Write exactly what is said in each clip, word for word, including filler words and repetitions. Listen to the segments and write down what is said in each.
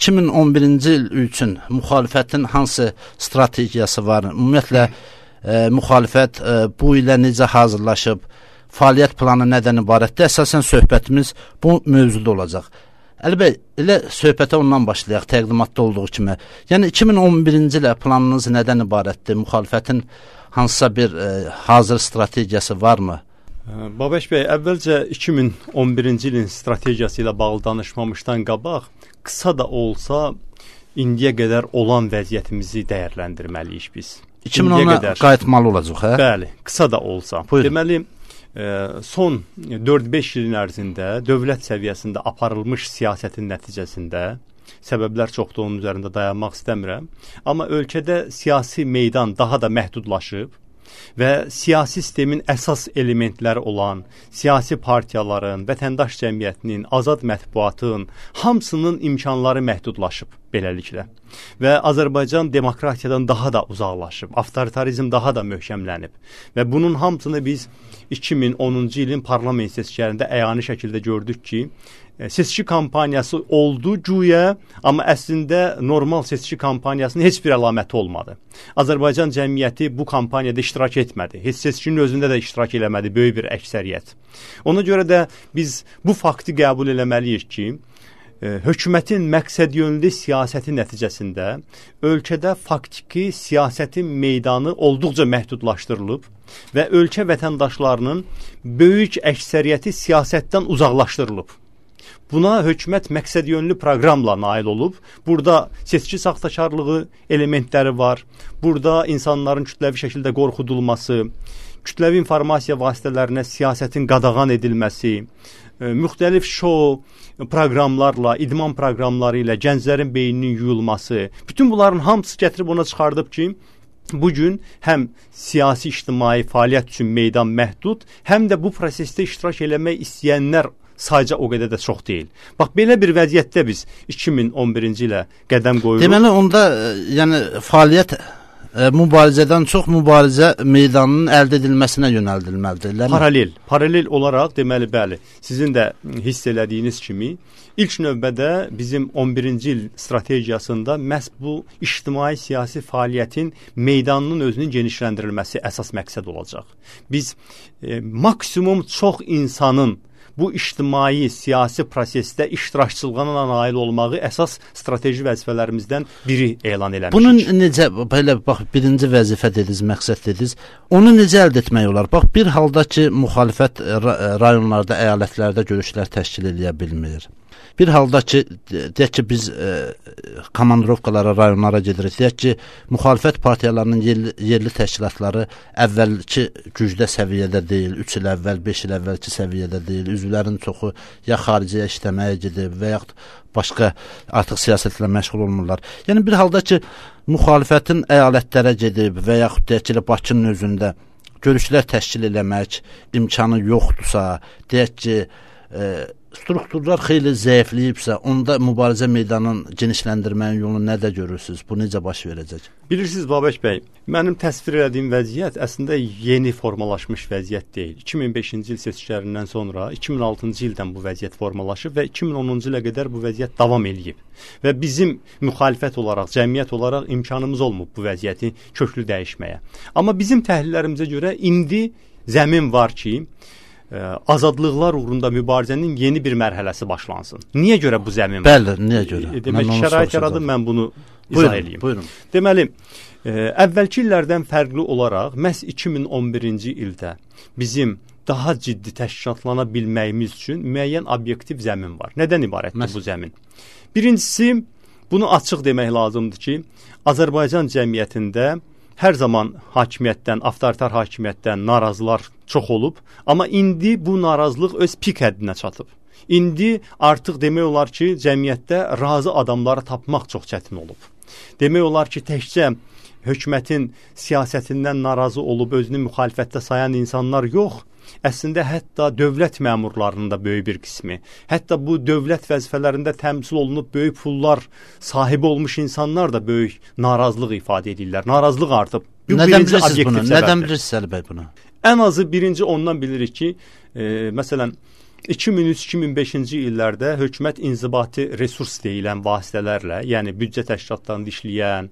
iki min on birinci il üçün müxalifətin hansı strategiyası var? Ümumiyyətlə e, müxalifət e, bu ilə necə hazırlaşıb, fəaliyyət planı nədən ibarətdir? Əsasən söhbətimiz bu mövzuda olacaq. Əli bəy, elə söhbətə ondan başlayaq, təqdimatda olduğu kimi. Yəni iki min on birinci ilə planınız nədən ibarətdir? Müxalifətin hansısa bir e, hazır strategiyası varmı? Babəş bəy, əvvəlcə iki min on birinci ilin strategiyası ilə bağlı danışmamışdan qabaq, qısa da olsa indiyə qədər olan vəziyyətimizi dəyərləndirməliyik biz. iki min ona qayıtmalı olacaq, hə? Bəli, qısa da olsa. Buyurun. Deməli, son dörd beş ilin ərzində dövlət səviyyəsində aparılmış siyasətin nəticəsində, səbəblər çoxdur, onun üzərində dayanmaq istəmirəm, amma ölkədə siyasi meydan daha da məhdudlaşıb və siyasi sistemin əsas elementləri olan siyasi partiyaların, vətəndaş cəmiyyətinin, azad mətbuatın hamısının imkanları məhdudlaşıb beləliklə. Və Azərbaycan demokratiyadan daha da uzaqlaşıb, avtoritarizm daha da möhkəmlənib və bunun hamısını biz iki min onuncu ilin parlament seçkilərində əyani şəkildə gördük ki, seçki kampaniyası oldu güya, amma əslində normal seçki kampaniyasının heç bir əlaməti olmadı. Azərbaycan cəmiyyəti bu kampaniyada iştirak etmədi. Heç seçkinin özündə də iştirak eləmədi böyük bir əksəriyyət. Ona görə də biz bu faktı qəbul eləməliyik ki, hökumətin məqsədyönlü siyasəti nəticəsində ölkədə faktiki siyasətin meydanı olduqca məhdudlaşdırılıb və ölkə vətəndaşlarının böyük əksəriyyəti siyasətdən uzaqlaşdırılıb. Buna hökumət məqsədyönlü proqramla nail olub. Burada seçki saxtakarlığı elementləri var. Burada insanların kütləvi şəkildə qorxudulması, kütləvi informasiya vasitələrinə siyasətin qadağan edilməsi, müxtəlif şou proqramlarla, idman proqramları ilə gənclərin beyninin yuyulması, bütün bunların hamısı gətirib ona çıxardıb ki, bugün həm siyasi ictimai fəaliyyət üçün meydan məhdud, həm də bu prosesdə iştirak eləmək istəyənlər sadəcə o qədər də çox deyil. Bax, belə bir vəziyyətdə biz iki min on birinci ilə qədəm qoyuruq. Deməli, onda yəni fəaliyyət e, mübarizədən çox mübarizə meydanının əldə edilməsinə yönəldilməlidir. Paralel, paralel olaraq deməli, bəli, sizin də hiss elədiyiniz kimi, ilk növbədə bizim on birinci il strategiyasında məhz bu ictimai siyasi fəaliyyətin meydanının özünün genişləndirilməsi əsas məqsəd olacaq. Biz e, maksimum çox insanın bu ictimai siyasi prosesdə iştirakçılığına nail olmağı əsas strateji vəzifələrimizdən biri elan eləmişik. Bunun necə, belə bax, birinci vəzifə dediniz, məqsəd dediniz, onu necə əldə etmək olar? Bax, bir halda ki, müxalifət rayonlarda, əyalətlərdə görüşlər təşkil edə bilmir. Bir halda ki, deyək ki, biz e, komandirovkalara, rayonlara gedirik, deyək ki, müxalifət partiyalarının yerli, yerli təşkilatları əvvəlki gücdə səviyyədə deyil, üç il əvvəl, beş il əvvəlki səviyyədə deyil, üzvlərin çoxu ya xariciyə işləməyə gedib və yaxud başqa artıq siyasətlə məşğul olmurlar. Yəni, bir halda ki, müxalifətin əyalətlərə gedib və yaxud deyək ki, Bakının özündə görüşlər təşkil eləmək imkanı yoxdursa, deyək ki, e, strukturlar xeyli zəifləyibsə, onda mübarizə meydanının genişləndirməyin yolunu nədə görürsünüz? Bu necə baş verəcək? Bilirsiniz, Babək bəy, mənim təsvir edədiyim vəziyyət əslində yeni formalaşmış vəziyyət deyil. iki min beşinci il seçkilərindən sonra iki min altıncı ildən bu vəziyyət formalaşıb və iki min onuncu ilə qədər bu vəziyyət davam eləyib. Və bizim müxalifət olaraq, cəmiyyət olaraq imkanımız olmub bu vəziyyəti köklü dəyişməyə. Amma bizim təhlillərimizə görə indi zəmin var ki, azadlıqlar uğrunda mübarizənin yeni bir mərhələsi başlansın. Niyə görə bu zəmin var? Bəli, niyə görə? Demək, şərait yaradım, mən bunu izah edeyim. Buyurun. Deməli, e, əvvəlki illərdən fərqli olaraq, məhz iki min on birinci ildə bizim daha ciddi təşkilatlana bilməyimiz üçün müəyyən obyektiv zəmin var. Nədən ibarətdir Məs bu zəmin? Birincisi, bunu açıq demək lazımdır ki, Azərbaycan cəmiyyətində hər zaman hakimiyyətdən, avtoritar hakimiyyətdən narazılar çox olub, amma indi bu narazılıq öz pik həddinə çatıb. İndi artıq demək olar ki, cəmiyyətdə razı adamları tapmaq çox çətin olub. Demək olar ki, təkcə hökumətin siyasətindən narazı olub özünü müxalifətdə sayan insanlar yox, əslində hətta dövlət məmurlarının da böyük bir qismi, hətta bu dövlət vəzifələrində təmsil olunub böyük pullar sahibi olmuş insanlar da böyük narazılıq ifadə edirlər. Narazılıq artıb. Bu Nədən bilirsiniz bunu? Səbəbdir. Nədən bilirsiniz Əli bəy bunu? Ən azı birinci ondan bilirik ki, e, məsələn, iki min üç iki min beşinci illərdə hökumət inzibati resurs deyilən vasitələrlə, yəni büdcə təşkilatlarında işləyən,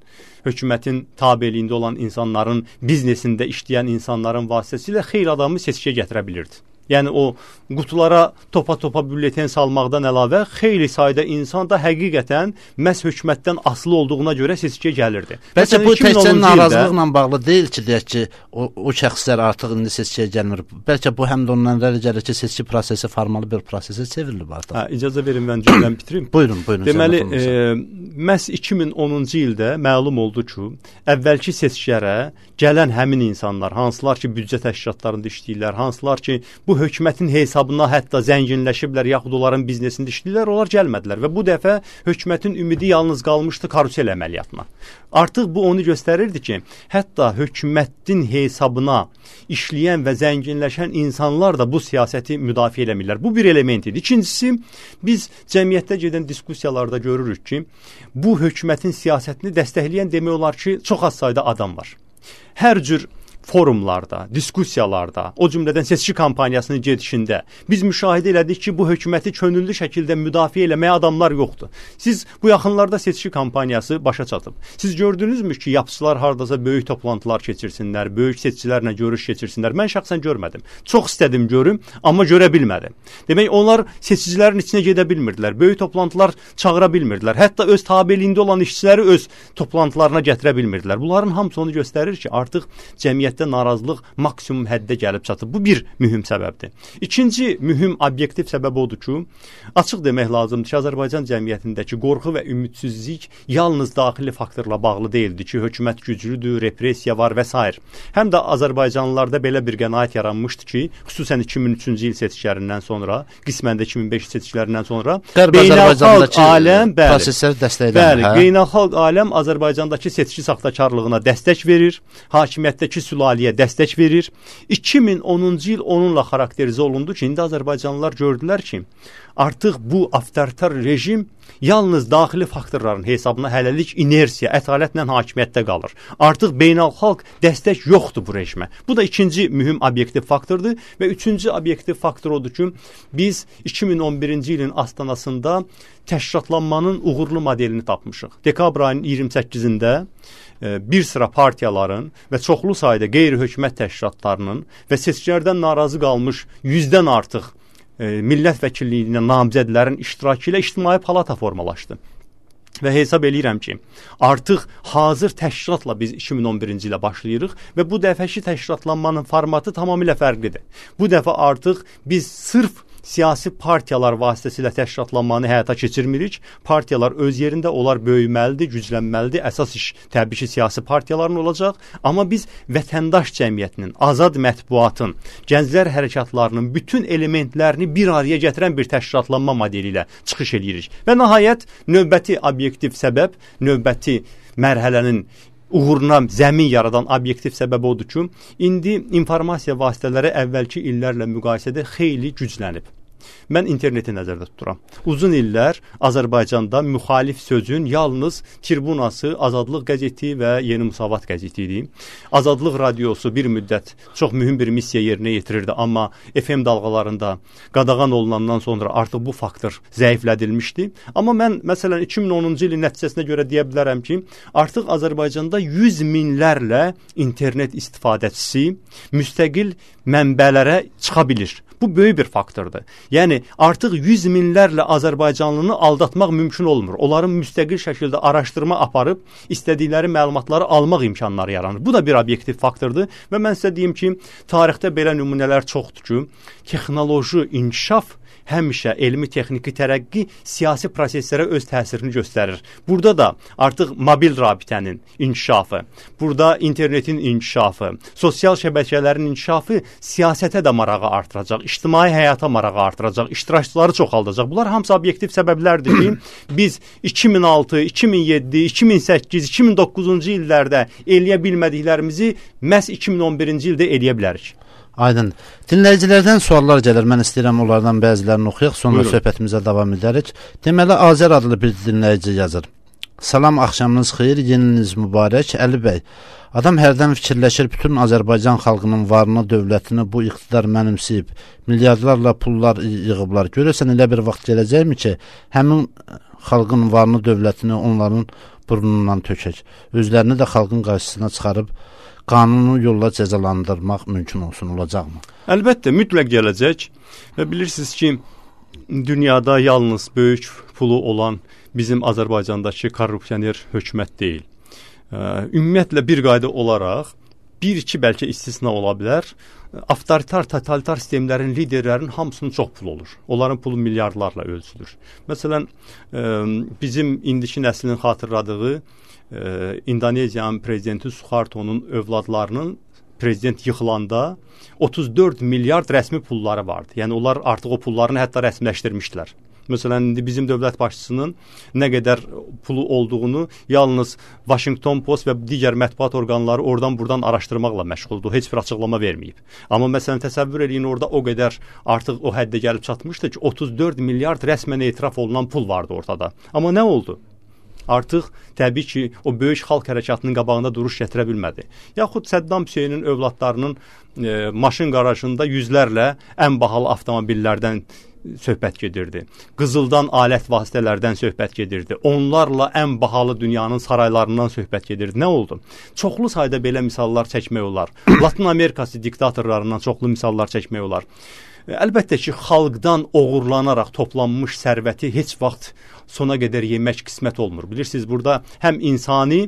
hökumətin tabeliyində olan insanların, biznesində işləyən insanların vasitəsilə xeyli adamı seçkiyə gətirə bilirdi. Yəni o qutulara topa-topa bülletin salmaqdan əlavə xeyli sayda insan da həqiqətən məhz hökumətdən asılı olduğuna görə seçkiyə gəlirdi. Bəlkə bu təkcə narazılıqla bağlı deyil ki, deyək ki, o, o şəxslər artıq indi seçkiyə gəlmir. Bəlkə bu həm də ondan irəli gəlir ki, seçki prosesi formal bir prosesə çevrilib artıq. Hə, icazə verin mən cümləmi bitireyim. Buyurun, buyurun. Deməli, e, məhz iki min onuncu ildə məlum oldu ki, əvvəlki seçkilərə gələn həmin insanlar, hansılar ki, büdcə təşkilatlarında işləyirlər, hansılar ki, bu hökumətin hesabına hətta zənginləşiblər, yaxud onların biznesində işləyirlər, onlar gəlmədilər və bu dəfə hökumətin ümidi yalnız qalmışdı karusel əməliyyatına. Artıq bu onu göstərirdi ki, hətta hökumətin hesabına işləyən və zənginləşən insanlar da bu siyasəti müdafiə eləmirlər. Bu bir element idi. İkincisi, biz cəmiyyətdə gedən diskussiyalarda görürük ki, bu hökumətin siyasətini dəstəkləyən demək olar ki, çox az sayda adam var. Hər cür forumlarda, diskussiyalarda, o cümlədən seçki kampaniyasının gedişində biz müşahidə elədik ki, bu hökuməti könüllü şəkildə müdafiə eləməyə adamlar yoxdur. Siz bu yaxınlarda seçki kampaniyası başa çatıb. Siz gördünüzmü ki, yapıçılar hardasa böyük toplantılar keçirsinlər, böyük seçicilərlə görüş keçirsinlər. Mən şəxsən görmədim. Çox istədim görüm, amma görə bilmədim. Demək, onlar seçicilərin içinə gedə bilmirdilər. Böyük toplantılar çağıra bilmirdilər. Hətta öz tabeliyində olan işçiləri öz toplantılarına gətirə bilmirdilər. Bunların hamısı onu göstərir ki, artıq cəmiyyət narazılıq maksimum həddə gəlib çatıb. Bu bir mühüm səbəbdir. İkinci mühüm obyektiv səbəb odur ki, açıq demək lazımdır ki, Azərbaycan cəmiyyətindəki qorxu və ümidsizlik yalnız daxili faktorla bağlı deyildi ki, hökumət güclüdür, repressiya var və s. Həm də Azərbaycanlılarda belə bir qənaət yaranmışdı ki, xüsusən iki min üçüncü il seçkilərindən sonra, qismən də iki min beş seçkilərindən sonra beynəlxalq aləm, prosesləri dəstəkləyir. Bəli, hə? Beynəlxalq aləm Azərbaycandakı seçki saxtakarlığına dəstək verir, hakimiyyətdəki sülaliyə dəstək verir. iki min onuncu il onunla xarakterizə olundu ki, indi Azərbaycanlılar gördülər ki, artıq bu avtoritar rejim yalnız daxili faktorların hesabına hələlik inersiya, ətalətlə hakimiyyətdə qalır. Artıq beynəlxalq dəstək yoxdur bu rejimə. Bu da ikinci mühüm obyektiv faktordur və üçüncü obyektiv faktor odur ki, biz iki min on birinci ilin astanasında təşkilatlanmanın uğurlu modelini tapmışıq. Dekabr ayının iyirmi səkkizində bir sıra partiyaların və çoxlu sayda qeyri-hökumət təşkilatlarının və seçkilərdən narazı qalmış yüzdən artıq e, millət vəkilliyinə namizədlərin iştirakı ilə ictimai palata formalaşdı. Və hesab eləyirəm ki, artıq hazır təşkilatla biz iki min on birinci ilə başlayırıq və bu dəfəki təşkilatlanmanın formatı tamamilə fərqlidir. Bu dəfə artıq biz sırf siyasi partiyalar vasitəsilə təşkilatlanmanı həyata keçirmirik. Partiyalar öz yerində, onlar böyüməlidir, güclənməlidir. Əsas iş təbii ki, siyasi partiyaların olacaq. Amma biz vətəndaş cəmiyyətinin, azad mətbuatın, gənclər hərəkatlarının bütün elementlərini bir araya gətirən bir təşkilatlanma modeli ilə çıxış edirik. Və nəhayət, növbəti obyektiv səbəb, növbəti mərhələnin uğuruna zəmin yaradan obyektiv səbəb odur ki, indi informasiya vasitələri əvvəlki illərlə müqayisədə xeyli güclənib. Mən interneti nəzərdə tuturam. Uzun illər Azərbaycanda müxalif sözün yalnız Tribunası, Azadlıq qəzeti və Yeni Musavat qəzeti idi. Azadlıq radiosu bir müddət çox mühüm bir missiya yerinə yetirirdi, amma F M dalğalarında qadağan olunandan sonra artıq bu faktor zəiflədilmişdi. Amma mən məsələn iki min onuncu ilin nəticəsinə görə deyə bilərəm ki, artıq Azərbaycanda yüz minlərlə internet istifadəçisi müstəqil mənbələrə çıxa bilir. Bu böyük bir faktordur. Yəni artıq yüz minlərlə Azərbaycanlını aldatmaq mümkün olmur. Onların müstəqil şəkildə araşdırma aparıb istədikləri məlumatları almaq imkanları yaranır. Bu da bir obyektiv faktordur və mən sizə deyim ki, tarixdə belə nümunələr çoxdur ki, texnoloji inkişaf həmişə elmi texniki tərəqqi siyasi proseslərə öz təsirini göstərir. Burada da artıq mobil rabitənin inkişafı, burada internetin inkişafı, sosial şəbəkələrin inkişafı siyasətə də marağı artıracaq, ictimai həyata marağı artıracaq, iştirakçıları çoxaldacaq. Bunlar hamısı obyektiv səbəblərdir ki, biz iki min altı, iki min yeddi, iki min səkkiz, iki min doqquzuncu illərdə eləyə bilmədiklərimizi məhz iki min on birinci ildə eləyə bilərik. Aydın. Dinləyicilərdən suallar gəlir. Mən istəyirəm onlardan bəzilərini oxuyaq, sonra Buyurun. Söhbətimizə davam edərik. Deməli, Azər adlı bir dinləyici yazır. Salam, axşamınız xeyir, yeniniz mübarək. Əli bəy, adam hərdən fikirləşir, bütün Azərbaycan xalqının varını, dövlətini bu iqtidar mənimsəyib, milyardlarla pullar yığıblar. Görəsən elə bir vaxt gələcəkmi ki, həmin xalqın varını, dövlətini onların burnundan tökək. Özlərini də xalqın qarşısına çıxarıb qanunu yolla cəzalandırmaq mümkün olsun, olacaqmı? Əlbəttə, mütləq gələcək və bilirsiniz ki, dünyada yalnız böyük pulu olan bizim Azərbaycandakı korrupsioner hökumət deyil. Ümumiyyətlə bir qayda olaraq bir-iki bəlkə istisna ola bilər. Avtoritar, totalitar sistemlərin liderlərinin hamısının çox pulu olur. Onların pulu milyardlarla ölçülür. Məsələn, bizim indiki nəslin xatırladığı İndoneziyanın prezidenti Suharto'nun övladlarının prezident yıxılanda otuz dörd milyard rəsmi pulları vardı. Yəni onlar artıq o pullarını hətta rəsmiləşdirmişdilər. Məsələn, indi bizim dövlət başçısının nə qədər pulu olduğunu yalnız Washington Post və digər mətbuat orqanları oradan buradan araşdırmaqla məşğuldur. Heç bir açıqlama verməyib. Amma məsələn, təsəvvür edin, orada o qədər artıq o həddə gəlib çatmışdı ki, otuz dörd milyard rəsmən etiraf olunan pul vardı ortada. Amma nə oldu? Artıq təbii ki, o böyük xalq hərəkatının qabağında duruş gətirə bilmədi. Yaxud Səddam Hüseynin övladlarının e, maşın qarajında yüzlərlə ən bahalı avtomobillərdən söhbət gedirdi. Qızıldan alət vasitələrdən söhbət gedirdi. Onlarla ən bahalı dünyanın saraylarından söhbət gedirdi. Nə oldu? Çoxlu sayda belə misallar çəkmək olar. Latin Amerikası diktatorlarından çoxlu misallar çəkmək olar. Əlbəttə ki, xalqdan oğurlanaraq toplanmış sərvəti heç vaxt sona qədər yemək qismət olmur. Bilirsiniz, burada həm insani,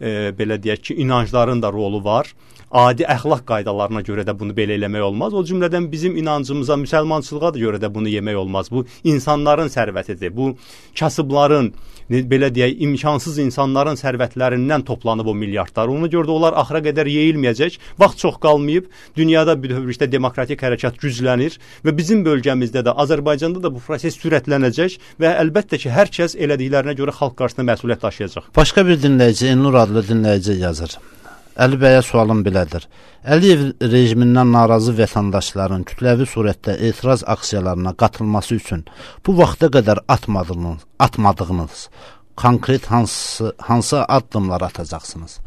e, belə deyək ki, inancların da rolu var. Adi əxlaq qaydalarına görə də bunu belə eləmək olmaz. O cümlədən bizim inancımıza, müsəlmançılığa da görə də bunu yemək olmaz. Bu insanların sərvətidir. Bu kasıbların, belə deyək, imkansız insanların sərvətlərindən toplanıb o milyardlar. Ona görə də onlar axıra qədər yeyilməyəcək. Vaxt çox qalmayıb. Dünyada bütövlükdə demokratik hərəkat güclənir və bizim bölgəmizdə də, Azərbaycanda da bu proses sürətlənəcək və əlbəttə ki, hər kəs elədiklərinə görə xalq qarşısında məsuliyyət daşıyacaq. Başqa bir dinləyici, Elnur adlı dinləyici yazır. Əli bəyə sualım belədir. Əliyev rejimindən narazı vətəndaşların kütləvi surətdə etiraz aksiyalarına qatılması üçün bu vaxta qədər atmadığınız, atmadığınız konkret hansı, hansı addımlar atacaqsınız?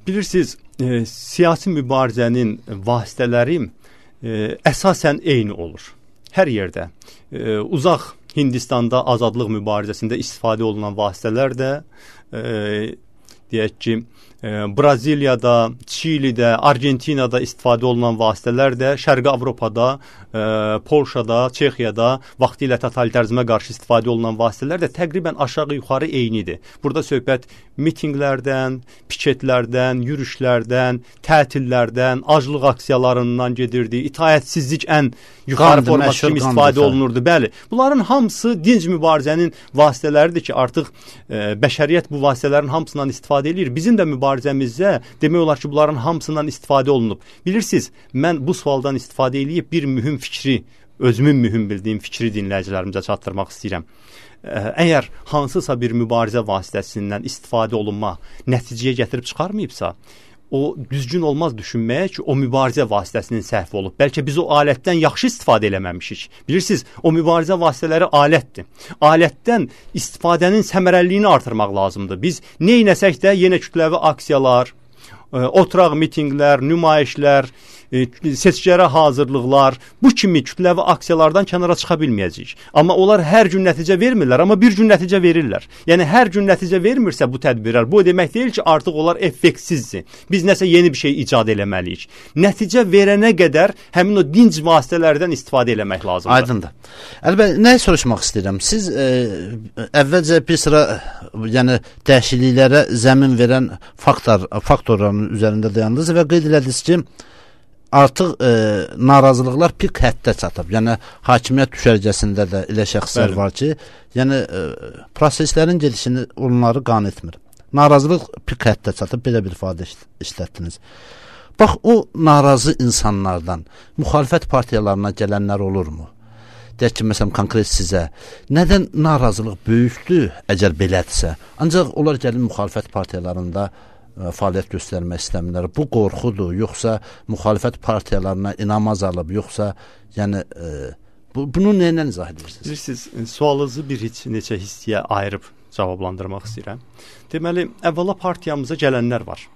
Bilirsiniz, e, siyasi mübarizənin vasitələri e, əsasən eyni olur. Hər yerdə. E, uzaq Hindistanda azadlıq mübarizəsində istifadə olunan vasitələr də e, deyək ki, Braziliyada, Çilidə, Argentinada istifadə olunan vasitələr də Şərqi Avropada, e, Polşada, Çexiyada vaxtilə totalitarizmə qarşı istifadə olunan vasitələr də təqribən aşağı-yuxarı eynidir. Burada söhbət mitinqlərdən, piketlərdən, yürüşlərdən, tətillərdən, aclıq aksiyalarından gedirdi. İtaətsizlik ən yuxarı forması kimi istifadə olunurdu. Bəli, bunların hamısı dinc mübarizənin vasitələridir ki, artıq e, bəşəriyyət bu vasitələrin hamısından istifadə edir. Bizim də mübarizəmizdə demək olar ki, bunların hamısından istifadə olunub. Bilirsiniz, mən bu sualdan istifadə edib bir mühüm fikri, özümün mühüm bildiyim fikri dinləyicilərimizə çatdırmaq istəyirəm. Əgər hansısa bir mübarizə vasitəsindən istifadə olunma nəticəyə gətirib çıxarmayıbsa, o düzgün olmaz düşünməyə ki, o mübarizə vasitəsinin səhvi olub. Bəlkə biz o alətdən yaxşı istifadə eləməmişik. Bilirsiniz, o mübarizə vasitələri alətdir. Alətdən istifadənin səmərəliliyini artırmaq lazımdır. Biz neynəsək də yenə kütləvi aksiyalar, oturaq mitinqlər, nümayişlər, seçkilərə hazırlıqlar, bu kimi kütləvi aksiyalardan kənara çıxa bilməyəcəyik. Amma onlar hər gün nəticə vermirlər, amma bir gün nəticə verirlər. Yəni, hər gün nəticə vermirsə bu tədbirlər, bu demək deyil ki, artıq onlar effektsizdir. Biz nəsə yeni bir şey icad eləməliyik. Nəticə verənə qədər həmin o dinc vasitələrdən istifadə eləmək lazımdır. Aydındır. Əlbəttə, nəyi soruşmaq istəyirəm? Siz e, əvvəlcə bir sıra yəni, dəyişikliklərə zəmin verən faktor, faktorların üzərində dayandınız və qeyd elədiniz ki, artıq e, narazılıqlar pik həddə çatıb. Yəni, hakimiyyət düşərgəsində də elə şəxslər Bəli. Var ki, yəni, e, proseslərin gedişini onları qan etmir. Narazılıq pik həddə çatıb, belə bir ifadə işlətdiniz. Bax, o narazı insanlardan müxalifət partiyalarına gələnlər olurmu? Deyək ki, məsələn, konkret sizə, nədən narazılıq böyükdür, əgər belədirsə? Ancaq onlar gəlin müxalifət partiyalarında fəaliyyət göstərmək istəmirlər. Bu qorxudur, yoxsa müxalifət partiyalarına inam azalıb, yoxsa yəni e, bu, bunu nə ilə izah edirsiniz? Bilirsiniz, sualınızı bir heç neçə hissəyə ayırıb cavablandırmaq istəyirəm. Deməli, əvvəla partiyamıza gələnlər var.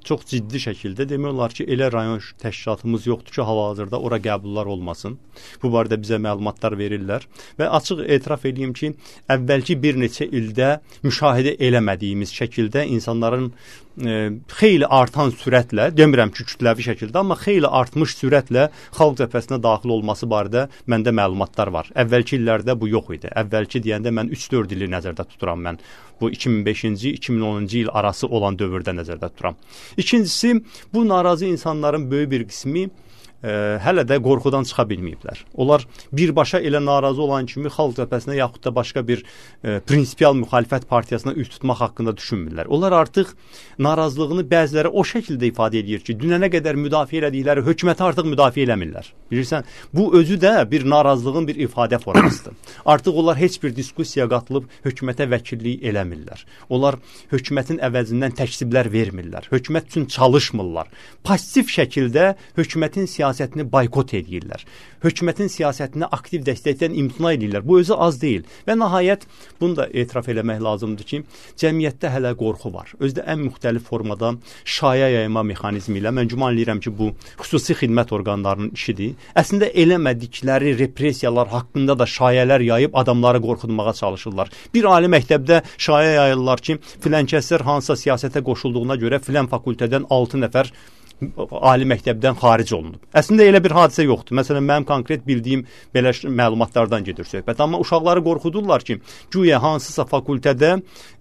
Çox ciddi şəkildə demək olar ki, elə rayon təşkilatımız yoxdur ki, hal-hazırda ora qəbullar olmasın. Bu barədə bizə məlumatlar verirlər və açıq etiraf edeyim ki, əvvəlki bir neçə ildə müşahidə eləmədiyimiz şəkildə insanların e, xeyli artan sürətlə, demirəm ki, kütləvi şəkildə, amma xeyli artmış sürətlə xalq cəbhəsinə daxil olması barədə məndə məlumatlar var. Əvvəlki illərdə bu yox idi. Əvvəlki deyəndə mən üç dörd ili nəzərdə tuturam mən. Bu iki min beşinci iki min onuncu il arası olan dövrdə nəzərdə tuturam. İkincisi, bu narazı insanların böyük bir qismi e, hələ də qorxudan çıxa bilməyiblər. Onlar birbaşa elə narazı olan kimi xalq cəbhəsinə yaxud da başqa bir e, prinsipial müxalifət partiyasına üst tutmaq haqqında düşünmürlər. Onlar artıq narazılığını bəziləri o şəkildə ifadə edir ki, dünənə qədər müdafiə elədikləri hökuməti artıq müdafiə eləmirlər. Bilirsən, bu özü də bir narazılığın bir ifadə formasıdır. Artıq onlar heç bir diskusiyaya qatılıb hökumətə vəkillik eləmirlər. Onlar hökumətin əvəzindən təksiblər vermirlər. Hökumət üçün çalışmırlar. Pasiv şəkildə hökumətin siyasətini boykot edirlər. Hökumətin siyasətini aktiv dəstəkdən imtina edirlər. Bu özü az deyil. Və nəhayət, bunu da etiraf eləmək lazımdır ki, cəmiyyətdə hələ qorxu var. Özdə ən müxtəlif formada şaya yayma mexanizmi ilə, mən güman edirəm ki, bu xüsusi xidmət orqanlarının işidir. Əslində eləmədikləri repressiyalar haqqında da şayələr yayıb adamları qorxutmağa çalışırlar. Bir ali məktəbdə şaya yayırlar ki, filan kəslər hansısa siyasətə qoşulduğuna görə filan fakültədən altı nəfər ali məktəbdən xaric olunub. Əslində elə bir hadisə yoxdur. Məsələn, mənim konkret bildiyim belə məlumatlardan gedir söhbət. Amma uşaqları qorxudurlar ki, güya hansısa fakültədə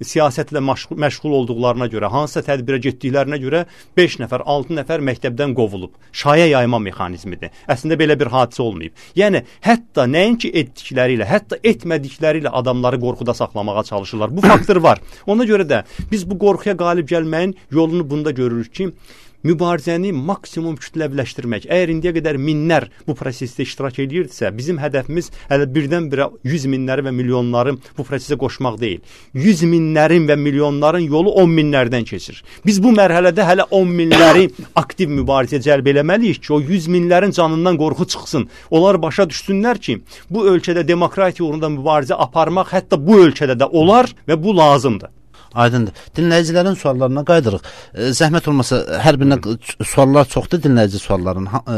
siyasətlə məşğul, məşğul olduqlarına görə, hansısa tədbirə getdiklərinə görə beş nəfər, altı nəfər məktəbdən qovulub. Şaya yayma mexanizmidir. Əslində belə bir hadisə olmayıb. Yəni, hətta nəinki etdikləri ilə, hətta etmədikləri ilə adamları qorxuda saxlamağa çalışırlar. Bu faktor var. Ona görə də biz bu qorxuya qalib gəlməyin yolunu bunda görürük ki, mübarizəni maksimum kütləviləşdirmək. Əgər indiyə qədər minlər bu prosesdə iştirak edirdisə, bizim hədəfimiz hələ birdən-birə yüz minləri və milyonları bu prosesə qoşmaq deyil. yüz minlərin və milyonların yolu on minlərdən keçir. Biz bu mərhələdə hələ on minləri aktiv mübarizəyə cəlb eləməliyik ki, o yüz minlərin canından qorxu çıxsın. Onlar başa düşsünlər ki, bu ölkədə demokratiya uğrunda mübarizə aparmaq hətta bu ölkədə də olar və bu lazımdır. Aydındır. Dinləyicilərin suallarına qayıdırıq. E, zəhmət olmasa, hər birinə suallar çoxdur, dinləyici sualların. Ha, e,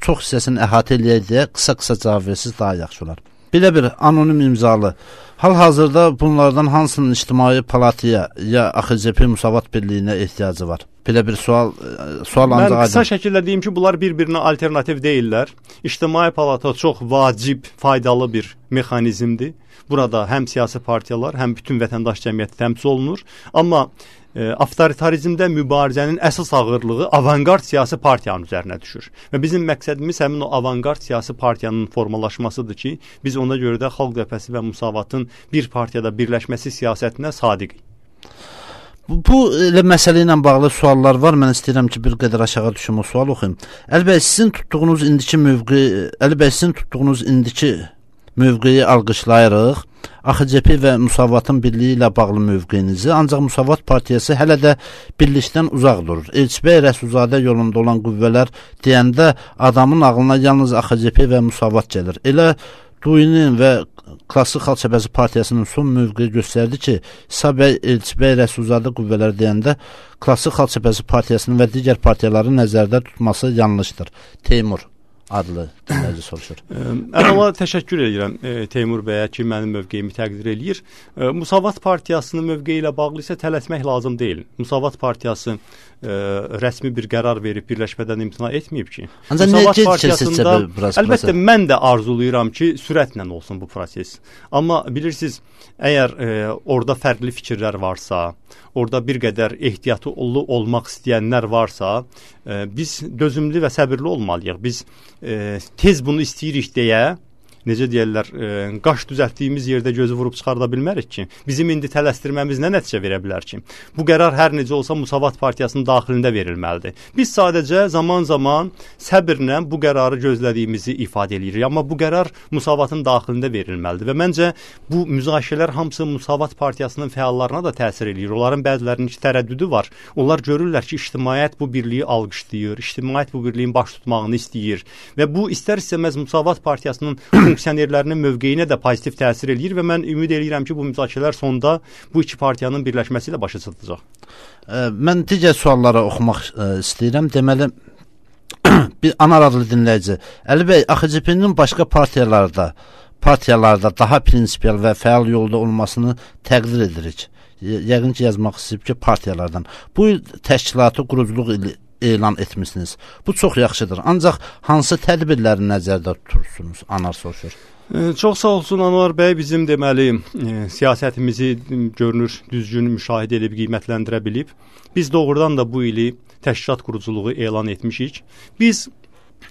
çox hissəsini əhatə eləyək deyə qısa-qısa cavab versiniz, daha yaxşı olar. Belə bir anonim imzalı. Hal-hazırda bunlardan hansının ictimai palataya ya A X C P Müsavat Birliyinə ehtiyacı var? Belə bir sual, e, sual ancaq Mən qısa aydın. şəkildə deyim ki, bunlar bir-birinə alternativ deyillər. İctimai palata çox vacib, faydalı bir mexanizmdir. Burada həm siyasi partiyalar, həm bütün vətəndaş cəmiyyəti təmsil olunur. Amma e, avtoritarizmdə mübarizənin əsas ağırlığı avangard siyasi partiyanın üzərinə düşür. Və bizim məqsədimiz həmin o avangard siyasi partiyanın formalaşmasıdır ki, biz ona görə də Xalq Cəbhəsi və Müsavatın bir partiyada birləşməsi siyasətinə sadiqik. Bu, bu elə məsələ ilə bağlı suallar var. Mən istəyirəm ki, bir qədər aşağı düşüm o sual oxuyum. Əlbəttə sizin tutduğunuz indiki mövqe, əlbəttə sizin tutduğunuz indiki mövqeyi alqışlayırıq. A X C P və Müsavatın birliyi ilə bağlı mövqeyinizi, ancaq Müsavat partiyası hələ də birlikdən uzaq durur. Elçibəy Rəsulzadə yolunda olan qüvvələr deyəndə adamın ağlına yalnız A X C P və Müsavat gəlir. Elə Duyinin və Klassik Xalq Cəbhəsi partiyasının son mövqeyi göstərdi ki, İsa bəy Elçibəy Rəsulzadə qüvvələr deyəndə Klassik Xalq Cəbhəsi partiyasının və digər partiyaları nəzərdə tutması yanlışdır. Teymur adlı dinləyici soruşur. Əvvəla təşəkkür edirəm e, Teymur bəyə ki, mənim mövqeyimi təqdir eləyir. E, Müsavat partiyasının mövqeyi ilə bağlı isə tələsmək lazım deyil. Müsavat partiyası e, rəsmi bir qərar verib birləşmədən imtina etməyib ki. Ancaq Müsavat necə partiyasında keçəcək? Əlbəttə mən də arzulayıram ki, sürətlə olsun bu proses. Amma bilirsiniz, əgər e, orada fərqli fikirlər varsa, orada bir qədər ehtiyatlı olmaq istəyənlər varsa, e, biz dözümlü və səbirli olmalıyıq. Biz e, tez bunu istəyirik deyə, necə deyirlər, e, qaş düzəltdiyimiz yerdə gözü vurub çıxarda bilmərik ki. Bizim indi tələsdirməmiz nə nəticə verə bilər ki? Bu qərar hər necə olsa Müsavat partiyasının daxilində verilməlidir. Biz sadəcə zaman-zaman səbirlə bu qərarı gözlədiyimizi ifadə edirik. Amma bu qərar Müsavatın daxilində verilməlidir və məncə bu müzakirələr hamısı Müsavat partiyasının fəallarına da təsir edir. Onların bəzilərinin ki, tərəddüdü var. Onlar görürlər ki, ictimaiyyət bu birliyi alqışlayır, ictimaiyyət bu birliyin baş tutmağını istəyir və bu istər-istəməz Müsavat partiyasının funksionerlərinin mövqeyinə də pozitiv təsir eləyir və mən ümid edirəm ki, bu müzakirələr sonda bu iki partiyanın birləşməsi ilə başa çatacaq. Mən digər suallara oxumaq istəyirəm. Deməli, bir anar adlı dinləyici. Əli bəy, A X C P-nin başqa partiyalarda partiyalarda daha prinsipial və fəal yolda olmasını təqdir edirik. Yəqin ki, yazmaq istəyib ki, partiyalardan. Bu il təşkilatı quruculuq ili elan etmişsiniz. Bu çox yaxşıdır. Ancaq hansı tədbirləri nəzərdə tutursunuz? Anar soruşur. E, çox sağ olsun Anvar bəy, bizim deməli e, siyasətimizi görünür düzgün müşahidə edib qiymətləndirə bilib. Biz doğrudan da bu ili təşkilat quruculuğu elan etmişik. Biz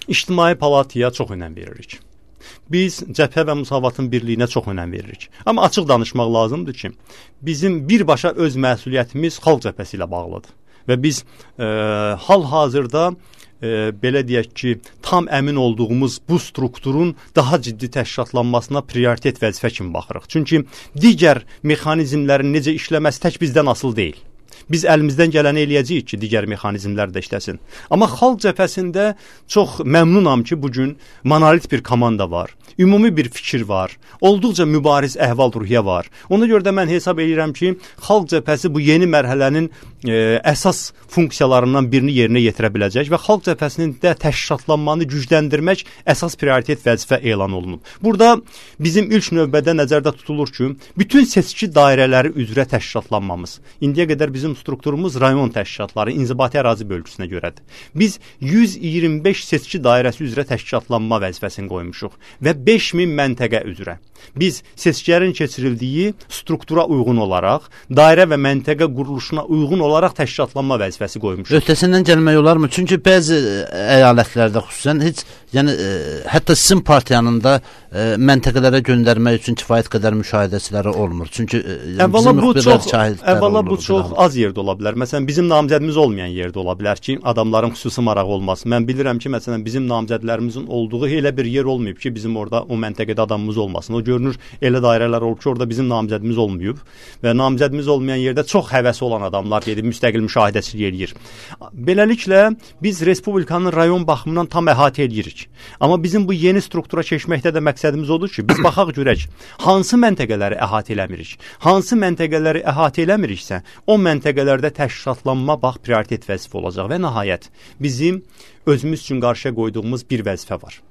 İctimai Palataya çox önəm veririk. Biz cəbhə və Müsavatın birliyinə çox önəm veririk. Amma açıq danışmaq lazımdır ki, bizim birbaşa öz məsuliyyətimiz xalq cəbhəsi ilə bağlıdır. Və biz e, hal-hazırda e, belə deyək ki, tam əmin olduğumuz bu strukturun daha ciddi təşkilatlanmasına prioritet vəzifə kimi baxırıq. Çünki digər mexanizmlərin necə işləməsi tək bizdən asılı deyil. Biz əlimizdən gələni eləyəcəyik ki, digər mexanizmlər də işləsin. Amma xalq cəbhəsində çox məmnunam ki, bugün monolit bir komanda var, ümumi bir fikir var, olduqca mübariz əhval-ruhiyyə var. Ona görə də mən hesab edirəm ki, xalq cəbhəsi bu yeni mərhələnin e, əsas funksiyalarından birini yerinə yetirə biləcək və xalq cəbhəsinin də təşkilatlanmanı gücləndirmək əsas prioritet vəzifə elan olunub. Burada bizim ilk növbədə nəzərdə tutulur ki, bütün seçki dairələri üzrə təşkilatlanmamız. İndiyə qədər bizim strukturumuz rayon təşkilatları inzibati ərazi bölgüsünə görədir. Biz yüz iyirmi beş seçki dairəsi üzrə təşkilatlanma vəzifəsini qoymuşuq və beş min məntəqə üzrə. Biz seçkilərin keçirildiyi struktura uyğun olaraq, dairə və məntəqə quruluşuna uyğun olaraq təşkilatlanma vəzifəsi qoymuşuq. Öhdəsindən gəlmək olarmı? Çünki bəzi əyalətlərdə xüsusən heç, yəni e, hətta sizin partiyanın da e, məntəqələrə göndərmək üçün kifayət qədər müşahidəçiləri olmur. Çünki e, əvvəla bu çox, əvvəla olur, bu çox az yerdə ola bilər. Məsələn, bizim namizədimiz olmayan yerdə ola bilər ki, adamların xüsusi marağı olmaz. Mən bilirəm ki, məsələn, bizim namizədlərimizin olduğu elə bir yer olmayıb ki, bizim orada o məntəqədə adamımız olmasın. O görünür, elə dairələr olub ki, orada bizim namizədimiz olmayıb və namizədimiz olmayan yerdə çox həvəsi olan adamlar gedib müstəqil müşahidəçilik eləyir. Beləliklə, biz Respublikanın rayon baxımından tam əhatə edirik. Amma bizim bu yeni struktura keçməkdə də məqsədimiz odur ki, biz baxaq görək, hansı məntəqələri əhatə eləmirik, hansı məntəqələri əhatə eləmiriksə, o məntəqələrdə təşkilatlanma bax prioritet vəzifə olacaq və nəhayət bizim özümüz üçün qarşıya qoyduğumuz bir vəzifə var.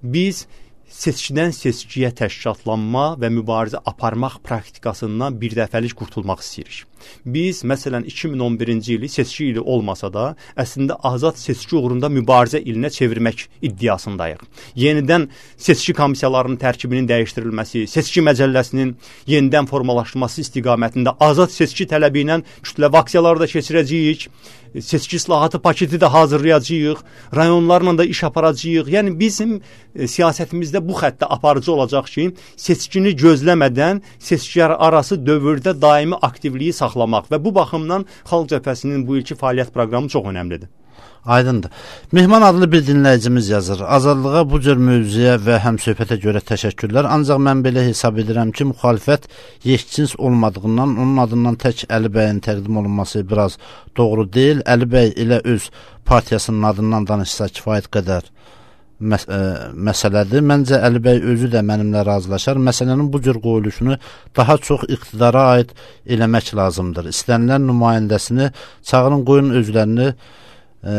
Biz seçkidən seçkiyə təşkilatlanma və mübarizə aparmaq praktikasından bir dəfəlik qurtulmaq istəyirik. Biz, məsələn, iki min on birinci ili seçki ili olmasa da, əslində azad seçki uğrunda mübarizə ilinə çevirmək iddiasındayıq. Yenidən seçki komissiyalarının tərkibinin dəyişdirilməsi, seçki məcəlləsinin yenidən formalaşdırılması istiqamətində azad seçki tələbi ilə kütləvi aksiyalar da keçirəcəyik, seçki islahatı paketi də hazırlayacağıq, rayonlarla da iş aparacağıq. Yəni bizim e, siyasətimizdə bu xəttə aparıcı olacaq ki, seçkini gözləmədən seçkilər arası dövrdə daimi aktivliyi saxlamaq və bu baxımdan Xalq Cəbhəsinin bu ilki fəaliyyət proqramı çox önəmlidir. Aydındır. Mehman adlı bir dinləyicimiz yazır. Azadlığa bu cür mövzuya və həmsöhbətə görə təşəkkürlər. Ancaq mən belə hesab edirəm ki, müxalifət yekcins olmadığından onun adından tək Əli bəyin təqdim olunması biraz doğru deyil. Əli bəy ilə öz partiyasının adından danışsa kifayət qədər məs ə, məsələdir. Məncə Əli bəy özü də mənimlə razılaşar. Məsələnin bu cür qoyuluşunu daha çox iqtidara aid eləmək lazımdır. İstənilən nümayəndəsini çağırın, qoyun özlərini Ə,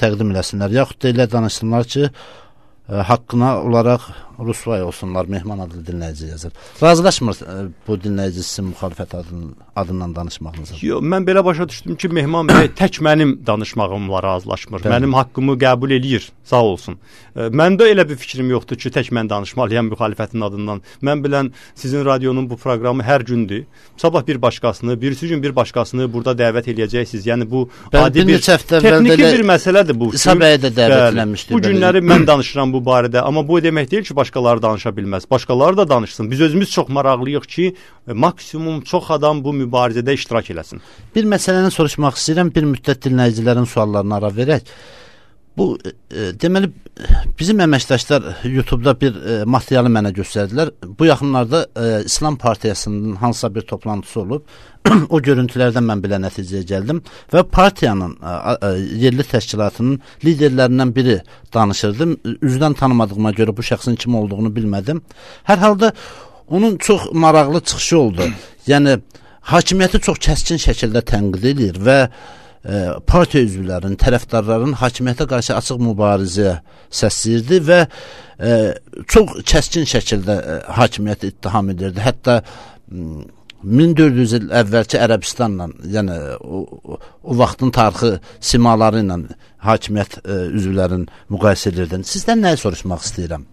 təqdim eləsinlər. Yaxud da elə danışsınlar ki, ə, haqqına olaraq rüsvay olsunlar. Mehman adlı dinləyici yazır. Razılaşmır ə, bu dinləyici sizin müxalifət adının, adından danışmağınızı. Yox, mən belə başa düşdüm ki, Mehman bəy tək mənim danışmağımla razılaşmır. Bəli. Mənim haqqımı qəbul eləyir. Sağ olsun. Ə, məndə elə bir fikrim yoxdur ki, tək mən danışmalıyam müxalifətin adından. Mən bilən sizin radionun bu proqramı hər gündür. Sabah bir başqasını, birisi gün bir başqasını burada dəvət eləyəcəksiniz. Yəni bu Bəli, adi bir, bir texniki bir məsələdir bu. İsa bəyə də dəvət eləmişdir. Bu günləri mən danışıram bu barədə, amma bu demək deyil ki, başqaları danışa bilməz. Başqaları da danışsın. Biz özümüz çox maraqlıyıq ki, maksimum çox adam bu mübarizədə iştirak eləsin. Bir məsələni soruşmaq istəyirəm. Bir müddət dinləyicilərin suallarına ara verək. Bu e, deməli bizim əməkdaşlar YouTube-da bir e, materialı mənə göstərdilər. Bu yaxınlarda e, İslam Partiyasının hansısa bir toplantısı olub. O görüntülərdən mən belə nəticəyə gəldim və partiyanın e, e, yerli təşkilatının liderlərindən biri danışırdı. Üzdən tanımadığıma görə bu şəxsin kim olduğunu bilmədim. Hər halda onun çox maraqlı çıxışı oldu. Yəni hakimiyyəti çox kəskin şəkildə tənqid edir və E, partiya üzvlərinin, tərəfdarların hakimiyyətə qarşı açıq mübarizəyə səsləyirdi və e, çox kəskin şəkildə e, hakimiyyəti ittiham edirdi. Hətta min dörd yüz il əvvəlki Ərəbistanla, yəni o, o, o vaxtın tarixi simaları ilə hakimiyyət e, üzvlərinin müqayisə edirdin. Sizdən nəyi soruşmaq istəyirəm?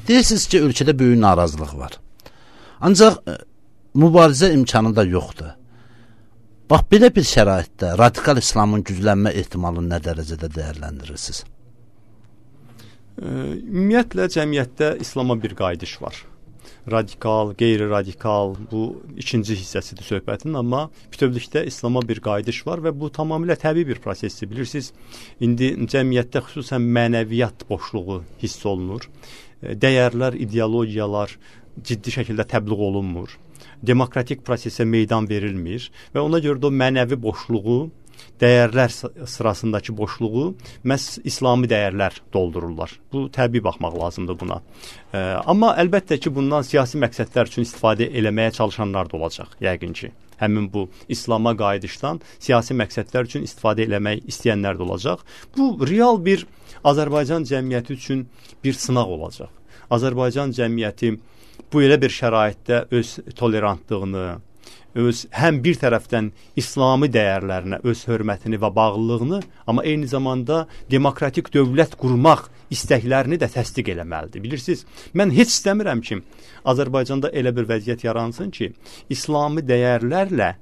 Deyirsiniz ki, ölkədə böyük narazılıq var. Ancaq e, mübarizə imkanı da yoxdur. Bax, belə bir şəraitdə radikal İslamın güclənmə ehtimalını nə dərəcədə dəyərləndirirsiniz? Ümumiyyətlə, cəmiyyətdə İslama bir qayıdış var. Radikal, qeyri-radikal, bu ikinci hissəsidir söhbətin, amma bütövlükdə İslama bir qayıdış var və bu tamamilə təbii bir prosesdir. Bilirsiniz, indi cəmiyyətdə xüsusən mənəviyyat boşluğu hiss olunur. Dəyərlər, ideologiyalar ciddi şəkildə təbliğ olunmur. Demokratik prosesə meydan verilmir və ona görə də o mənəvi boşluğu, dəyərlər sırasındakı boşluğu məhz İslami dəyərlər doldururlar. Bu təbii baxmaq lazımdır buna. E, amma əlbəttə ki, bundan siyasi məqsədlər üçün istifadə eləməyə çalışanlar da olacaq, yəqin ki. Həmin bu İslama qayıdışdan siyasi məqsədlər üçün istifadə eləmək istəyənlər də olacaq. Bu real bir Azərbaycan cəmiyyəti üçün bir sınaq olacaq. Azərbaycan cəmiyyəti bu elə bir şəraitdə öz tolerantlığını, öz həm bir tərəfdən İslami dəyərlərinə öz hörmətini və bağlılığını, amma eyni zamanda demokratik dövlət qurmaq istəklərini də təsdiq eləməlidir. Bilirsiniz, mən heç istəmirəm ki, Azərbaycanda elə bir vəziyyət yaransın ki, İslami dəyərlərlə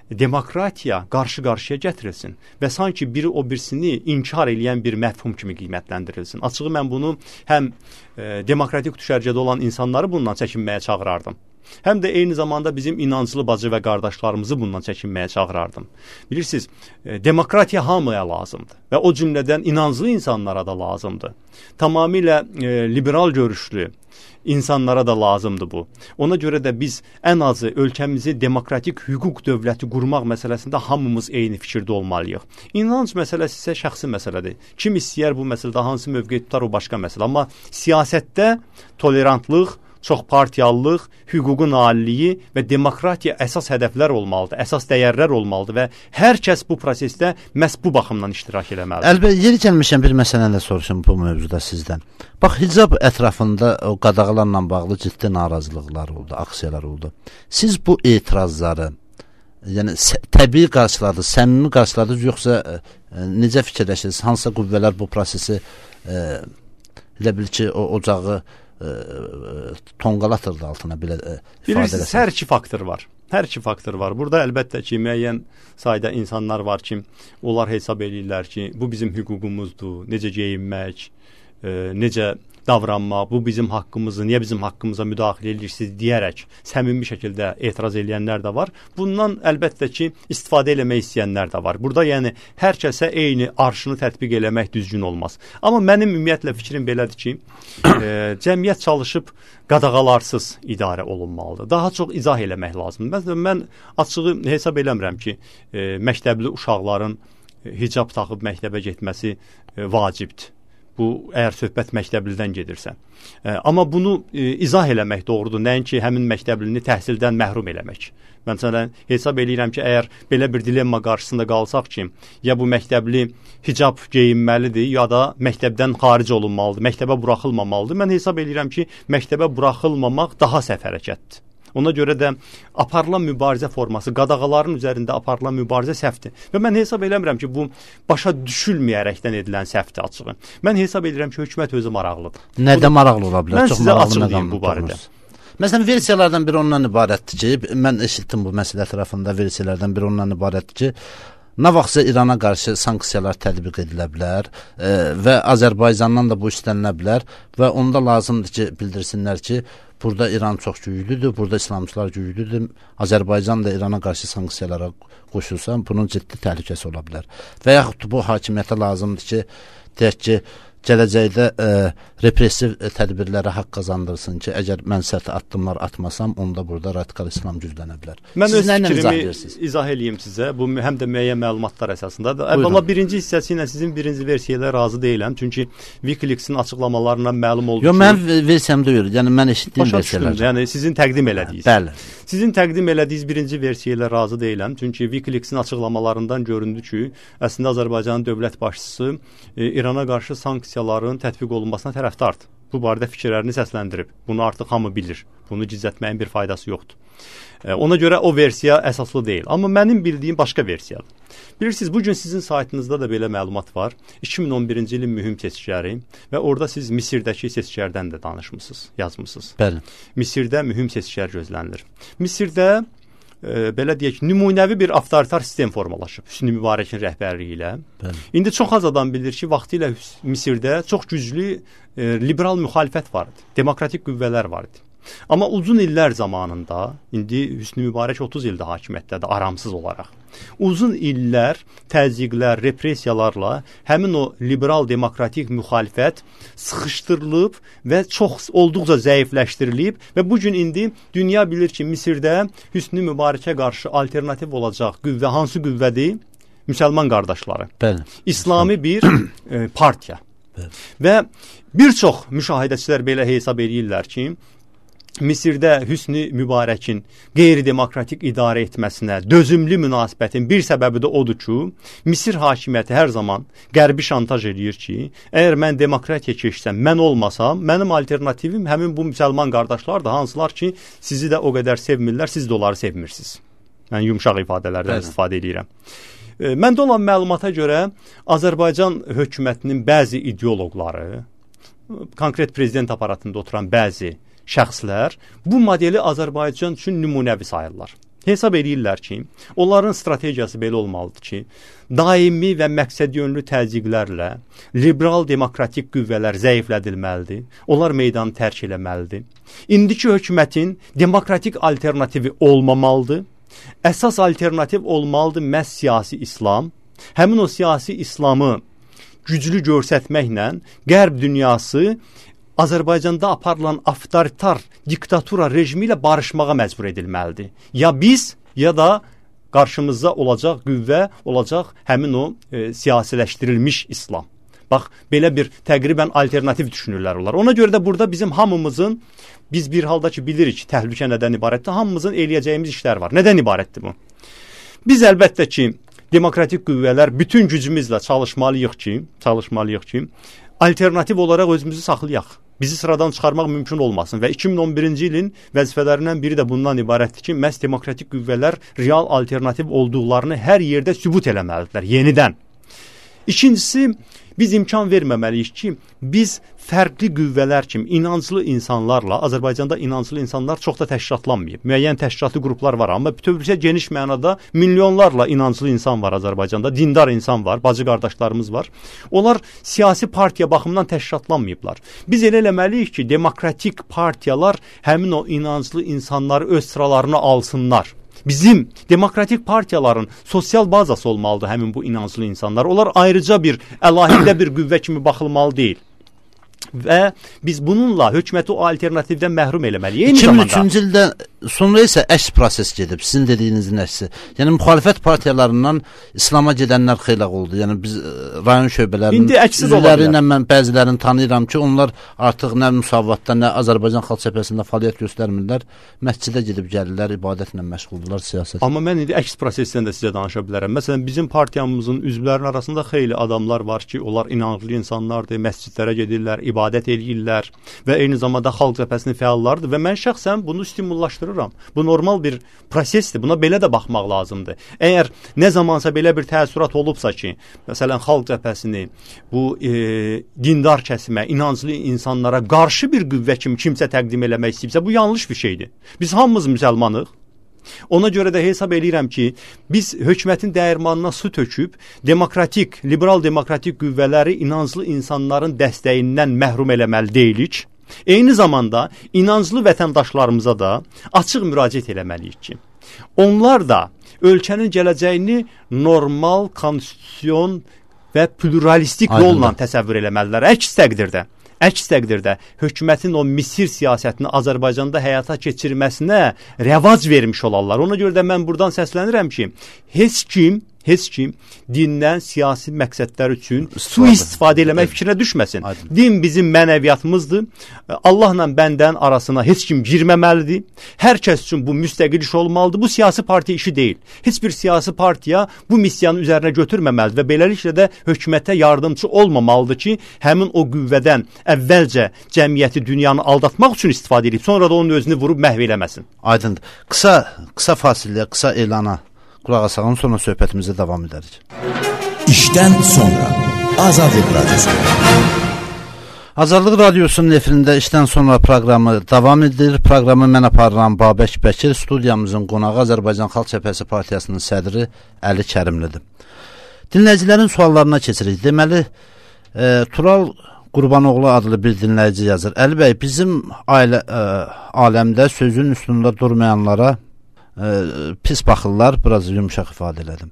demokratiya qarşı-qarşıya gətirilsin və sanki biri o birisini inkar eləyən bir məfhum kimi qiymətləndirilsin. Açığı mən bunu həm e, demokratik düşərgədə olan insanları bundan çəkinməyə çağırardım, həm də eyni zamanda bizim inanclı bacı və qardaşlarımızı bundan çəkinməyə çağırardım. Bilirsiniz, e, demokratiya hamıya lazımdır və o cümlədən inanclı insanlara da lazımdır. Tamamilə e, liberal görüşlü insanlara da lazımdır bu. Ona görə də biz ən azı ölkəmizi demokratik hüquq dövləti qurmaq məsələsində hamımız eyni fikirdə olmalıyıq. İnanc məsələsi isə şəxsi məsələdir. Kim istəyər bu məsələdə hansı mövqe tutar, o başqa məsələ. Amma siyasətdə tolerantlıq, çoxpartiyalılıq, hüququn aliliyi və demokratiya əsas hədəflər olmalıdır, əsas dəyərlər olmalıdır və hər kəs bu prosesdə məhz bu baxımdan iştirak eləməlidir. Əlbəttə, yeri gəlmişəm bir məsələni də soruşum bu mövzuda sizdən. Bax, hicab ətrafında o qadağalarla bağlı ciddi narazılıqlar oldu, aksiyalar oldu. Siz bu etirazları, yəni təbii qarşıladınız, səmimi qarşıladınız, yoxsa e, necə fikirləşirsiniz? Hansısa qüvvələr bu prosesi e, elə bil ki, o ocağı e, tonqalatırdı altına belə e, ifadə eləsək. Hər iki faktor var. Hər iki faktor var. Burada əlbəttə ki, müəyyən sayda insanlar var ki, onlar hesab eləyirlər ki, bu bizim hüququmuzdur, necə geyinmək, e, necə davranmaq, bu bizim haqqımızı, niyə bizim haqqımıza müdaxilə edirsiniz deyərək səmimi şəkildə etiraz edənlər də var. Bundan əlbəttə ki, istifadə eləmək istəyənlər də var. Burada yəni hər kəsə eyni arşını tətbiq eləmək düzgün olmaz. Amma mənim ümumiyyətlə fikrim belədir ki, e, cəmiyyət çalışıb qadağalarsız idarə olunmalıdır. Daha çox izah eləmək lazımdır. Məsələn, mən açığı hesab eləmirəm ki, e, məktəbli uşaqların hicab taxıb məktəbə getməsi e, vacibdir. Bu, əgər söhbət məktəblidən gedirsə. E, amma bunu e, izah eləmək doğrudur. Nəinki həmin məktəblini təhsildən məhrum eləmək. Məsələn, hesab eləyirəm ki, əgər belə bir dilemma qarşısında qalsaq ki, ya bu məktəbli hicab geyinməlidir, ya da məktəbdən xaric olunmalıdır, məktəbə buraxılmamalıdır. Mən hesab eləyirəm ki, məktəbə buraxılmamaq daha səhv hərəkətdir. Ona görə də aparılan mübarizə forması, qadağaların üzərində aparılan mübarizə səhvdir. Və mən hesab eləmirəm ki, bu başa düşülməyərəkdən edilən səhvdir açığı. Mən hesab edirəm ki, hökumət özü maraqlıdır. Nədə maraqlı ola bilər? Mən Çox sizə açıqlayayım bu barədə. Məsələn, versiyalardan biri ondan ibarətdir ki, mən eşitdim bu məsələ ətrafında versiyalardan biri ondan ibarətdir ki, nə vaxtsa İrana qarşı sanksiyalar tətbiq edilə bilər e, və Azərbaycandan da bu istənilə bilər və onda lazımdır ki, bildirsinlər ki, burada İran çox güclüdür, burada İslamçılar güclüdür. Azərbaycan da İrana qarşı sanksiyalara qoşulsa, bunun ciddi təhlükəsi ola bilər. Və yaxud bu hakimiyyətə lazımdır ki, deyək ki, gələcəkdə e, repressiv tədbirlərə haqq qazandırsın ki, əgər mən sərt addımlar atmasam, onda burada radikal İslam güclənə bilər. Mən öz fikrimi izah edeyim sizə. Bu həm də müəyyən məlumatlar əsasındadır. Əvvəla birinci hissəsi ilə sizin birinci versiyayla razı deyiləm. Çünki Wikileaks-in açıqlamalarından məlum oldu ki... Yox, mən versiyam deyil. Yəni, mən eşitdiyim versiyalar. Yəni, sizin təqdim elədiyiniz. Bəli. Sizin təqdim elədiyiniz birinci versiyayla razı deyiləm. Çünki Wikileaks-in açıqlamalarından göründü ki, əslində Azərbaycanın dövlət başçısı e, İrana qarşı sanksiyaların tətbiq olunmasına tərəfdardır. Bu barədə fikirlərini səsləndirib. Bunu artıq hamı bilir. Bunu gizlətməyin bir faydası yoxdur. E, ona görə o versiya əsaslı deyil. Amma mənim bildiyim başqa versiyadır. Bilirsiniz, bugün sizin saytınızda da belə məlumat var. iki min on birinci ilin mühüm seçkiləri və orada siz Misirdəki seçkilərdən də danışmısınız, yazmısınız. Bəli. Misirdə mühüm seçkilər gözlənilir. Misirdə e, belə deyək, nümunəvi bir avtoritar sistem formalaşıb Hüsnü Mübarəkin rəhbərliyi ilə. Bəli. İndi çox az adam bilir ki, vaxtilə Misirdə çox güclü e, liberal müxalifət var idi, demokratik qüvvələr var idi. Amma uzun illər zamanında, indi Hüsnü Mübarək otuz ildə hakimiyyətdədir, aramsız olaraq. Uzun illər təzyiqlər, repressiyalarla həmin o liberal demokratik müxalifət sıxışdırılıb və çox olduqca zəifləşdirilib və bugün indi dünya bilir ki, Misirdə Hüsnü Mübarəkə qarşı alternativ olacaq qüvvə hansı qüvvədir? Müsəlman qardaşları. Bəli. İslami bir e, partiya. Bəli. Və bir çox müşahidəçilər belə hesab edirlər ki, Misirdə Hüsnü Mübarəkin qeyri-demokratik idarə etməsinə dözümlü münasibətin bir səbəbi də odur ki, Misir hakimiyyəti hər zaman qərbi şantaj edir ki, əgər mən demokratiya keçsəm, mən olmasam, mənim alternativim həmin bu müsəlman qardaşlar da, hansılar ki, sizi də o qədər sevmirlər, siz də onları sevmirsiniz. Mən yumşaq ifadələrdən Bəli. istifadə edirəm. E, məndə olan məlumata görə Azərbaycan hökumətinin bəzi ideoloqları, konkret prezident aparatında oturan bəzi şəxslər bu modeli Azərbaycan üçün nümunəvi sayırlar. Hesab edirlər ki, onların strategiyası belə olmalıdır ki, daimi və məqsədyönlü təzyiqlərlə liberal demokratik qüvvələr zəiflədilməlidir, onlar meydanı tərk eləməlidir. İndiki hökumətin demokratik alternativi olmamalıdır, əsas alternativ olmalıdır məhz siyasi İslam. Həmin o siyasi İslamı güclü göstərməklə Qərb dünyası Azərbaycanda aparılan avtoritar diktatura rejimi ilə barışmağa məcbur edilməlidir. Ya biz, ya da qarşımızda olacaq qüvvə, olacaq həmin o e, siyasiləşdirilmiş İslam. Bax, belə bir təqribən alternativ düşünürlər onlar. Ona görə də burada bizim hamımızın, biz bir halda ki bilirik təhlükə nədən ibarətdir, hamımızın eləyəcəyimiz işlər var. Nədən ibarətdir bu? Biz əlbəttə ki, demokratik qüvvələr bütün gücümüzlə çalışmalıyıq ki, çalışmalıyıq ki, alternativ olaraq özümüzü saxlayaq. Bizi sıradan çıxarmaq mümkün olmasın və iki min on birinci ilin vəzifələrindən biri də bundan ibarətdir ki, məhz demokratik qüvvələr real alternativ olduqlarını hər yerdə sübut eləməlidirlər, yenidən. İkincisi, biz imkan verməməliyik ki, biz fərqli qüvvələr kimi inanclı insanlarla, Azərbaycanda inanclı insanlar çox da təşkilatlanmayıb. Müəyyən təşkilatlı qruplar var, amma bütövlükdə geniş mənada milyonlarla inanclı insan var Azərbaycanda, dindar insan var, bacı qardaşlarımız var. Onlar siyasi partiya baxımından təşkilatlanmayıblar. Biz elə eləməliyik ki, demokratik partiyalar həmin o inanclı insanları öz sıralarına alsınlar. Bizim demokratik partiyaların sosial bazası olmalıdır həmin bu inanclı insanlar. Onlar ayrıca bir əlahidə bir qüvvə kimi baxılmalı deyil. Və biz bununla hökuməti o alternativdən məhrum eləməliyik. iki min üçüncü ildə sonra isə əks proses gedib, sizin dediyinizin əksi. Yəni müxalifət partiyalarından İslama gedənlər xeyli oldu. Yəni biz rayon şöbələrinin üzvləri mən bəzilərini tanıyıram ki, onlar artıq nə müsavatda, nə Azərbaycan Xalq Cəbhəsində fəaliyyət göstərmirlər. Məscidə gedib gəlirlər, ibadətlə məşğuldurlar, siyasət. Amma mən indi əks prosesdən də sizə danışa bilərəm. Məsələn, bizim partiyamızın üzvlərinin arasında xeyli adamlar var ki, onlar inanclı insanlardır, məscidlərə gedirlər, ibadət eləyirlər və eyni zamanda Xalq Cəbhəsinin fəallarıdır və mən şəxsən bunu stimullaşdırıram. Bu normal bir prosesdir. Buna belə də baxmaq lazımdır. Əgər nə zamansa belə bir təəssürat olubsa ki, məsələn Xalq Cəbhəsini bu e, dindar kəsimə, inanclı insanlara qarşı bir qüvvə kimi kimsə təqdim eləmək istəyibsə, bu yanlış bir şeydir. Biz hamımız müsəlmanıq. Ona görə də hesab eləyirəm ki, biz hökumətin dəyirmanına su töküb, demokratik, liberal demokratik qüvvələri inanclı insanların dəstəyindən məhrum eləməli deyilik. Eyni zamanda inanclı vətəndaşlarımıza da açıq müraciət eləməliyik ki, onlar da ölkənin gələcəyini normal, konstitusyon və pluralistik Aydın. yolla təsəvvür eləməlidirlər. Əks təqdirdə, əks təqdirdə hökumətin o Misir siyasətini Azərbaycanda həyata keçirməsinə rəvac vermiş olarlar. Ona görə də mən buradan səslənirəm ki, heç kim heç kim dindən siyasi məqsədlər üçün sui-istifadə eləmək fikrinə düşməsin. Aydın. Din bizim mənəviyyatımızdır. Allahla bəndən arasına heç kim girməməlidir. Hər kəs üçün bu müstəqil iş olmalıdır. Bu siyasi partiya işi deyil. Heç bir siyasi partiya bu missiyanı üzərinə götürməməlidir və beləliklə də hökumətə yardımçı olmamalıdır ki, həmin o qüvvədən əvvəlcə cəmiyyəti, dünyanı aldatmaq üçün istifadə edib, sonra da onun özünü vurub məhv eləməsin. Aydındır. Qısa, qısa fasiləyə, qısa elana qulaq asaq, sonra söhbətimizə davam edərik. İşdən sonra Azadlıq Radyosu. Azadlıq Radyosunun efirində işdən sonra proqramı davam edir. Proqramı mən aparıram Babək Bəkir, studiyamızın qonağı Azərbaycan Xalq Cəbhəsi Partiyasının sədri Əli Kərimlidir. Dinləyicilərin suallarına keçirik. Deməli, e, Tural Qurbanoğlu adlı bir dinləyici yazır. Əli bəy, bizim ailə, e, aləmdə sözün üstündə durmayanlara e, pis baxırlar, biraz yumuşaq ifadə elədim.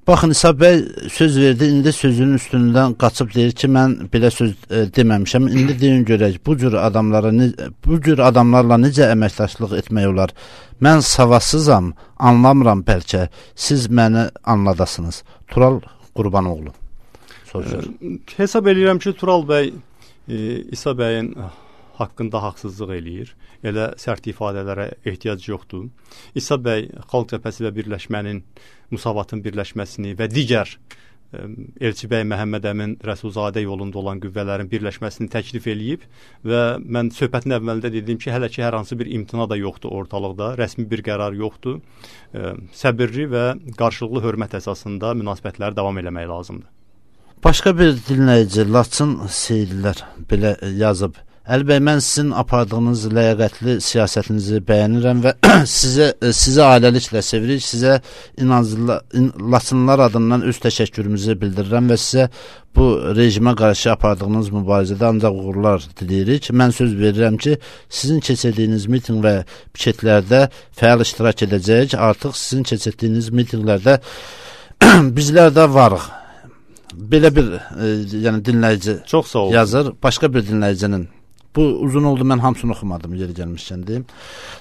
Baxın, İsa bəy söz verdi, indi sözünün üstündən qaçıb deyir ki, mən belə söz e, deməmişəm. İndi deyin görək, bu cür adamlara bu cür adamlarla necə əməkdaşlıq etmək olar? Mən savadsızam, anlamıram bəlkə. Siz məni anladasınız. Tural Qurbanoğlu soruşur. E, hesab edirəm ki, Tural bəy e, İsa bəyin haqqında haqsızlıq eləyir. Elə sərt ifadələrə ehtiyac yoxdur. İsa bəy Xalq Cəbhəsi və Birləşmənin, Musavatın birləşməsini və digər e, Elçi bəy Məhəmməd Əmin Rəsulzadə yolunda olan qüvvələrin birləşməsini təklif eləyib və mən söhbətin əvvəlində dediyim ki, hələ ki hər hansı bir imtina da yoxdur ortalıqda, rəsmi bir qərar yoxdur. E, səbirli və qarşılıqlı hörmət əsasında münasibətləri davam eləmək lazımdır. Başqa bir dinləyici Laçın Seyidlər belə yazıb. Əli bəy, mən sizin apardığınız ləyaqətli siyasətinizi bəyənirəm və sizə, sizə ailəliklə sevirik, sizə inanclı, in, Laçınlar adından öz təşəkkürümüzü bildirirəm və sizə bu rejimə qarşı apardığınız mübarizədə ancaq uğurlar diləyirik. Mən söz verirəm ki, sizin keçirdiyiniz miting və piketlərdə fəal iştirak edəcəyik. Artıq sizin keçirdiyiniz mitinglərdə bizlər də varıq. Belə bir e, yəni dinləyici Çox sağ olun. yazır. Başqa bir dinləyicinin. Bu uzun oldu, mən hamısını oxumadım, yeri gəlmişkən deyim.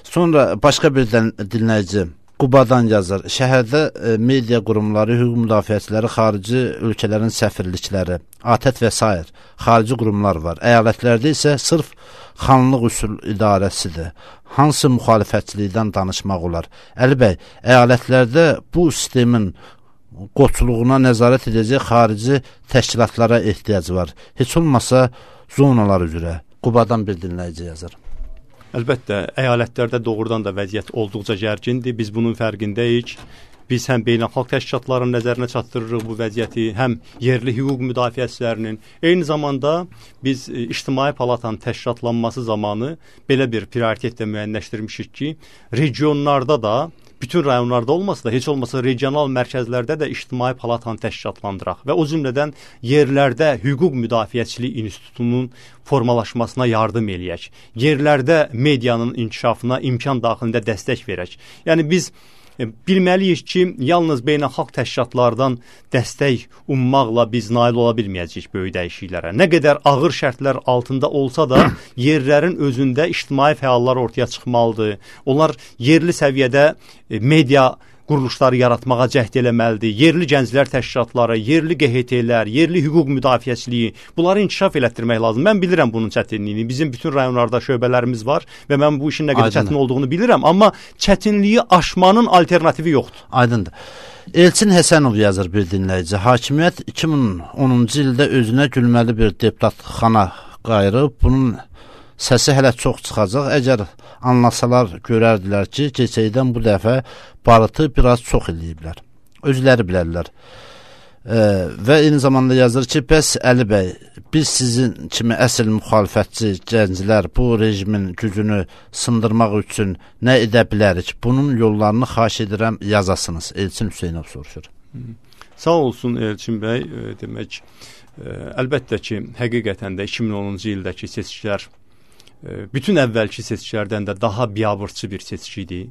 Sonra başqa bir dinləyici Qubadan yazır. Şəhərdə e, media qurumları, hüquq müdafiəçiləri, xarici ölkələrin səfirlikləri, ATƏT və s. xarici qurumlar var. Əyalətlərdə isə sırf xanlıq üsul idarəsidir. Hansı müxalifətçilikdən danışmaq olar? Əli bəy, əyalətlərdə bu sistemin qoçuluğuna nəzarət edəcək xarici təşkilatlara ehtiyac var. Heç olmasa zonalar üzrə. Qubadan bir dinləyici yazır. Əlbəttə, əyalətlərdə doğrudan da vəziyyət olduqca gərgindir. Biz bunun fərqindəyik. Biz həm beynəlxalq təşkilatların nəzərinə çatdırırıq bu vəziyyəti, həm yerli hüquq müdafiəçilərinin. Eyni zamanda biz e, İctimai Palatanın təşkilatlanması zamanı belə bir prioritetlə müəyyənləşdirmişik ki, regionlarda da, bütün rayonlarda olmasa da, heç olmasa regional mərkəzlərdə də İctimai Palatanı təşkilatlandıraq və o cümlədən yerlərdə hüquq müdafiəçilik institutunun formalaşmasına yardım eləyək. Yerlərdə medianın inkişafına imkan daxilində dəstək verək. Yəni biz e, bilməliyik ki, yalnız beynəlxalq təşkilatlardan dəstək ummaqla biz nail ola bilməyəcəyik böyük dəyişikliklərə. Nə qədər ağır şərtlər altında olsa da yerlərin özündə ictimai fəallar ortaya çıxmalıdır. Onlar yerli səviyyədə e, media quruluşları yaratmağa cəhd eləməlidir. Yerli gənclər təşkilatları, yerli Q H T-lər, yerli hüquq müdafiəçiliyi, bunları inkişaf elətdirmək lazım. Mən bilirəm bunun çətinliyini. Bizim bütün rayonlarda şöbələrimiz var və mən bu işin nə qədər çətin olduğunu bilirəm, amma çətinliyi aşmanın alternativi yoxdur. Aydındır. Elçin Həsənov yazır bir dinləyici. Hakimiyyət iki min onuncu ildə özünə gülməli bir deputatxana qayırıb, bunun səsi hələ çox çıxacaq. Əgər anlasalar görərdilər ki, keçəkdən bu dəfə barıtı biraz çox eləyiblər. Özləri bilərlər. e, və eyni zamanda yazır ki, bəs Əli bəy, biz sizin kimi əsl müxalifətçi gənclər bu rejimin gücünü sındırmaq üçün nə edə bilərik? Bunun yollarını xahiş edirəm yazasınız. Elçin Hüseynov soruşur. Sağ olsun Elçin bəy. E, demək, e, əlbəttə ki, həqiqətən də iki min onuncu ildəki seçkilər e, bütün əvvəlki seçkilərdən də daha biabırçı bir seçki idi.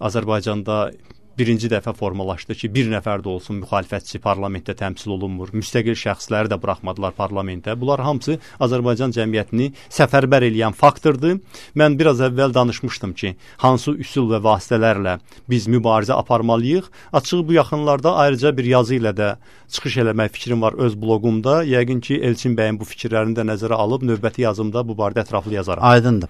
Azərbaycanda birinci dəfə formalaşdı ki, bir nəfər də olsun müxalifətçi parlamentdə təmsil olunmur. Müstəqil şəxsləri də buraxmadılar parlamentə. Bunlar hamısı Azərbaycan cəmiyyətini səfərbər eləyən faktordur. Mən biraz əvvəl danışmışdım ki, hansı üsul və vasitələrlə biz mübarizə aparmalıyıq. Açığı bu yaxınlarda ayrıca bir yazı ilə də çıxış eləmək fikrim var öz bloqumda. Yəqin ki, Elçin bəyin bu fikirlərini də nəzərə alıb növbəti yazımda bu barədə ətraflı yazaram. Aydındır.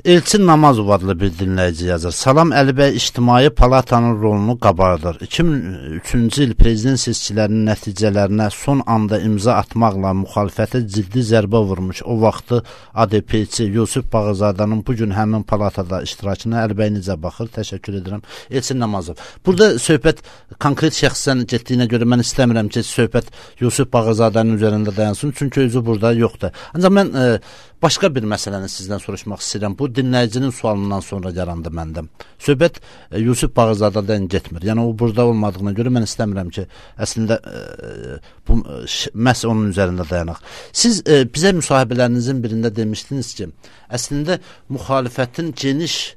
Elçin Namazov adlı bir dinləyici yazır. Salam Əli bəy, İctimai Palatanın rolunu qabardır. iki min üçüncü il prezident seçkilərinin nəticələrinə son anda imza atmaqla müxalifətə ciddi zərbə vurmuş. O vaxtı A D P-ci Yusif Bağırzadənin bugün həmin palatada iştirakına Əli bəy necə baxır? Təşəkkür edirəm. Elçin Namazov. Burada söhbət konkret şəxsdən getdiyinə görə mən istəmirəm ki, söhbət Yusif Bağırzadənin üzərində dayansın. Çünki özü burada yoxdur. Ancaq mən e, başqa bir məsələni sizdən soruşmaq istəyirəm. Bu dinləyicinin sualından sonra yarandı məndə. Söhbət e, Yusif Bağırzadədən getmir. Yəni o burada olmadığına görə mən istəmirəm ki, əslində e, bu məhz onun üzərində dayanaq. Siz e, bizə müsahibələrinizin birində demişdiniz ki, əslində müxalifətin geniş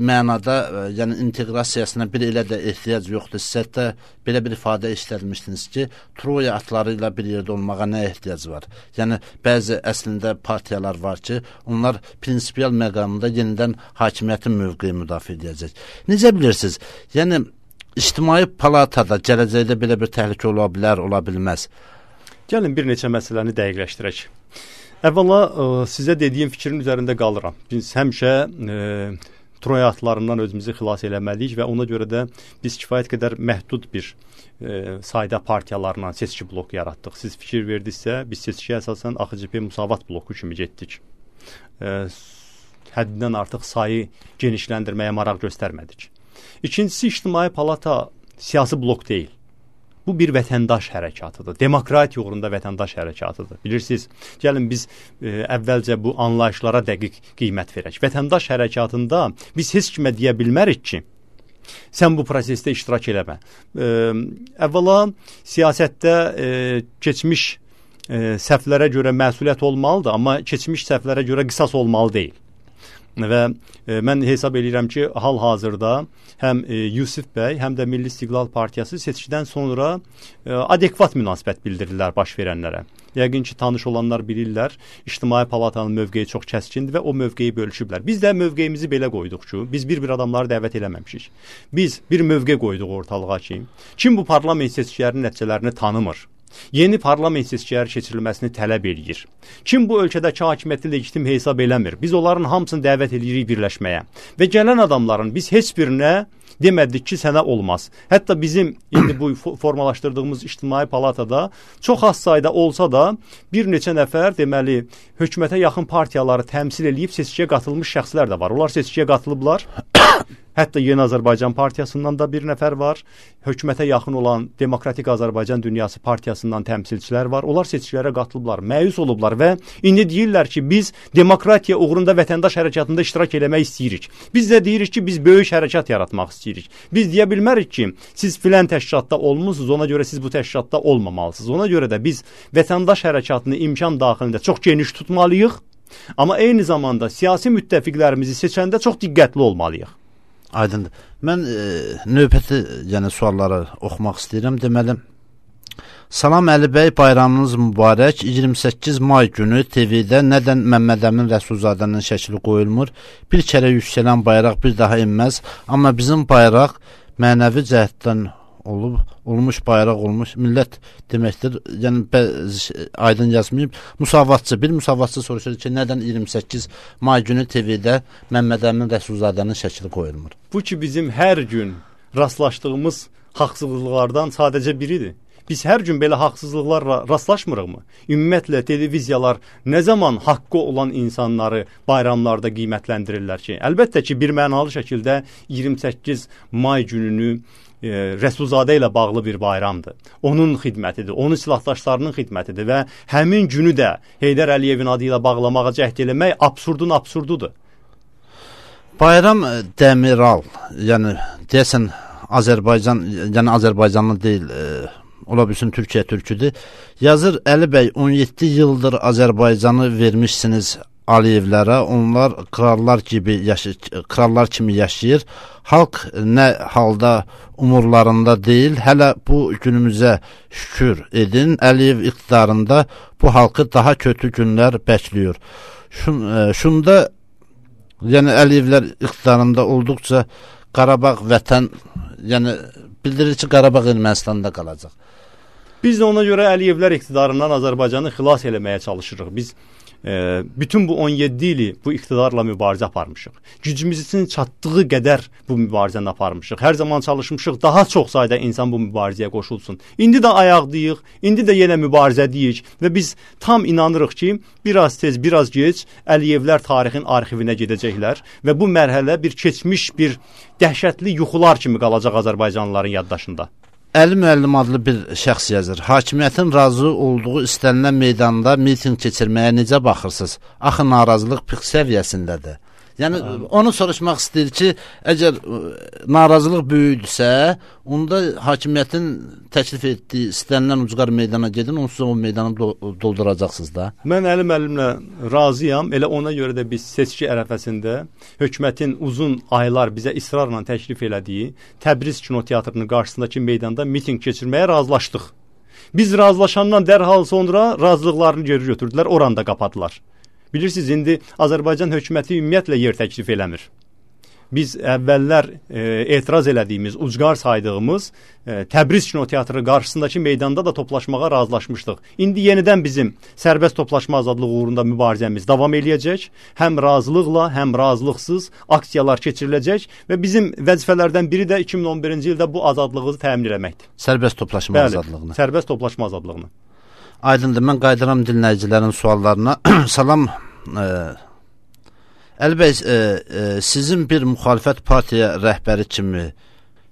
mənada, yəni inteqrasiyasına bir elə də ehtiyac yoxdur. Siz hətta belə bir ifadə işlətmişdiniz ki, Troya atları ilə bir yerdə olmağa nə ehtiyac var? Yəni bəzi əslində partiyalar var ki, onlar prinsipial məqamında yenidən hakimiyyətin mövqeyi müdafiə edəcək. Necə bilirsiniz? Yəni İctimai Palatada gələcəkdə belə bir təhlükə ola bilər, ola bilməz. Gəlin bir neçə məsələni dəqiqləşdirək. Əvvəla sizə dediyim fikrin üzərində qalıram. Biz həmişə e, Troya atlarından özümüzü xilas eləməliyik və ona görə də biz kifayət qədər məhdud bir e, sayda partiyalarla seçki bloku yaratdıq. Siz fikir verdinizsə, biz seçkiyə əsasən A X C P Müsavat bloku kimi getdik. E, həddindən artıq sayı genişləndirməyə maraq göstərmədik. İkincisi, İctimai Palata siyasi blok deyil. Bu bir vətəndaş hərəkatıdır. Demokratiya uğrunda vətəndaş hərəkatıdır. Bilirsiniz, gəlin biz e, əvvəlcə bu anlayışlara dəqiq qiymət verək. Vətəndaş hərəkatında biz heç kimə deyə bilmərik ki, sən bu prosesdə iştirak eləmə. E, əvvəla siyasətdə e, keçmiş e, səhvlərə görə məsuliyyət olmalıdır, amma keçmiş səhvlərə görə qisas olmalı deyil. Və e, mən hesab edirəm ki, hal-hazırda həm e, Yusif bəy, həm də Milli İstiqlal Partiyası seçkidən sonra e, adekvat münasibət bildirirlər baş verənlərə. Yəqin ki, tanış olanlar bilirlər, İctimai Palatanın mövqeyi çox kəskindir və o mövqeyi bölüşüblər. Biz də mövqeyimizi belə qoyduq ki, biz bir-bir adamları dəvət eləməmişik. Biz bir mövqe qoyduq ortalığa ki, kim bu parlament seçkilərinin nəticələrini tanımır, yeni parlament seçkiləri keçirilməsini tələb edir. Kim bu ölkədəki hakimiyyəti legitim hesab eləmir? Biz onların hamısını dəvət edirik birləşməyə. Və gələn adamların biz heç birinə demədik ki, sənə olmaz. Hətta bizim indi bu formalaşdırdığımız İctimai Palatada çox az sayda olsa da bir neçə nəfər deməli hökumətə yaxın partiyaları təmsil edib seçkiyə qatılmış şəxslər də var. Onlar seçkiyə qatılıblar. Hətta Yeni Azərbaycan Partiyasından da bir nəfər var. Hökumətə yaxın olan Demokratik Azərbaycan Dünyası Partiyasından təmsilçilər var. Onlar seçkilərə qatılıblar, məyus olublar və indi deyirlər ki, biz demokratiya uğrunda vətəndaş hərəkatında iştirak eləmək istəyirik. Biz də deyirik ki, biz böyük hərəkat yaratmaq istəyirik. Biz deyə bilmərik ki, siz filan təşkilatda olmusunuz, ona görə siz bu təşkilatda olmamalısınız. Ona görə də biz vətəndaş hərəkatını imkan daxilində çox geniş tutmalıyıq, amma eyni zamanda siyasi müttəfiqlərimizi seçəndə çox diqqətli olmalıyıq. Aydındır. Mən e, növbəti yəni sualları oxumaq istəyirəm. Deməli, salam Əli bəy, bayramınız mübarək. iyirmi səkkiz may günü T V-də nədən Məmməd Əmin Rəsulzadənin şəkli qoyulmur? Bir kərə yüksələn bayraq bir daha inməz. Amma bizim bayraq mənəvi cəhətdən olub, olmuş bayraq olmuş millət deməkdir. Yəni bəzi aydın yazmayıb. Müsavatçı, bir müsavatçı soruşur ki, nədən iyirmi səkkiz may günü T V-də Məmməd Əmin Rəsulzadənin şəkli qoyulmur? Bu ki bizim hər gün rastlaşdığımız haqsızlıqlardan sadəcə biridir. Biz hər gün belə haqsızlıqlarla rastlaşmırıqmı? Ümumiyyətlə televiziyalar nə zaman haqqı olan insanları bayramlarda qiymətləndirirlər ki? Əlbəttə ki, bir mənalı şəkildə iyirmi səkkiz may gününü e, Rəsulzadə ilə bağlı bir bayramdır. Onun xidmətidir, onun silahdaşlarının xidmətidir və həmin günü də Heydər Əliyevin adı ilə bağlamağa cəhd eləmək absurdun absurdudur. Bayram Dəmiral, yəni deyəsən Azərbaycan, yəni Azərbaycanlı deyil, e, ola bilsin Türkiyə türküdür. Yazır, Əli bəy, on yeddi ildir Azərbaycanı vermişsiniz Aliyevlərə, onlar krallar kimi yaşayır, krallar kimi yaşayır. Halk nə halda umurlarında deyil. Hələ bu günümüzə şükür edin. Əliyev iqtidarında bu halkı daha kötü günlər bəkliyor. Şun, e, şunda yəni Əliyevlər iqtidarında olduqca Qarabağ vətən, yəni bildirir ki, Qarabağ Ermənistanda qalacaq. Biz də ona görə Əliyevlər iqtidarından Azərbaycanı xilas eləməyə çalışırıq. Biz e, bütün bu on yeddi ili bu iqtidarla mübarizə aparmışıq. Gücümüzün çatdığı qədər bu mübarizəni aparmışıq. Hər zaman çalışmışıq daha çox sayda insan bu mübarizəyə qoşulsun. İndi də ayaqdayıq, indi də yenə mübarizədəyik və biz tam inanırıq ki, biraz tez, biraz geç Əliyevlər tarixin arxivinə gedəcəklər və bu mərhələ bir keçmiş, bir dəhşətli yuxular kimi qalacaq Azərbaycanlıların yaddaşında. Əli müəllim adlı bir şəxs yazır. Hakimiyyətin razı olduğu istənilən meydanda miting keçirməyə necə baxırsınız? Axı narazılıq pik səviyyəsindədir. Yəni Aa. onu soruşmaq istəyir ki, əgər narazılıq böyüdürsə, onda hakimiyyətin təklif etdiyi istənilən ucqar meydana gedin, onsuz o meydanı do dolduracaqsınız da. Mən Əli müəllimlə razıyam. Elə ona görə də biz seçki ərəfəsində hökumətin uzun aylar bizə israrla təklif elədiyi Təbriz kinoteatrının qarşısındakı meydanda miting keçirməyə razılaşdıq. Biz razılaşandan dərhal sonra razılıqlarını geri götürdülər, oranı da qapadılar. Bilirsiniz, indi Azərbaycan hökuməti ümumiyyətlə yer təklif eləmir. Biz əvvəllər e, etiraz elədiyimiz, ucqar saydığımız e, Təbriz kinoteatrı qarşısındakı meydanda da toplaşmağa razılaşmışdıq. İndi yenidən bizim sərbəst toplaşma azadlığı uğrunda mübarizəmiz davam eləyəcək. Həm razılıqla, həm razılıqsız aksiyalar keçiriləcək və bizim vəzifələrdən biri də iki min on birinci ildə bu azadlığı təmin etməkdir. Sərbəst toplaşma Bəli, azadlığını. Sərbəst toplaşma azadlığını. Aydındır, mən qaydıram dinləyicilərin suallarına. Salam, e, Əli bəy, e, e, sizin bir müxalifət partiya rəhbəri kimi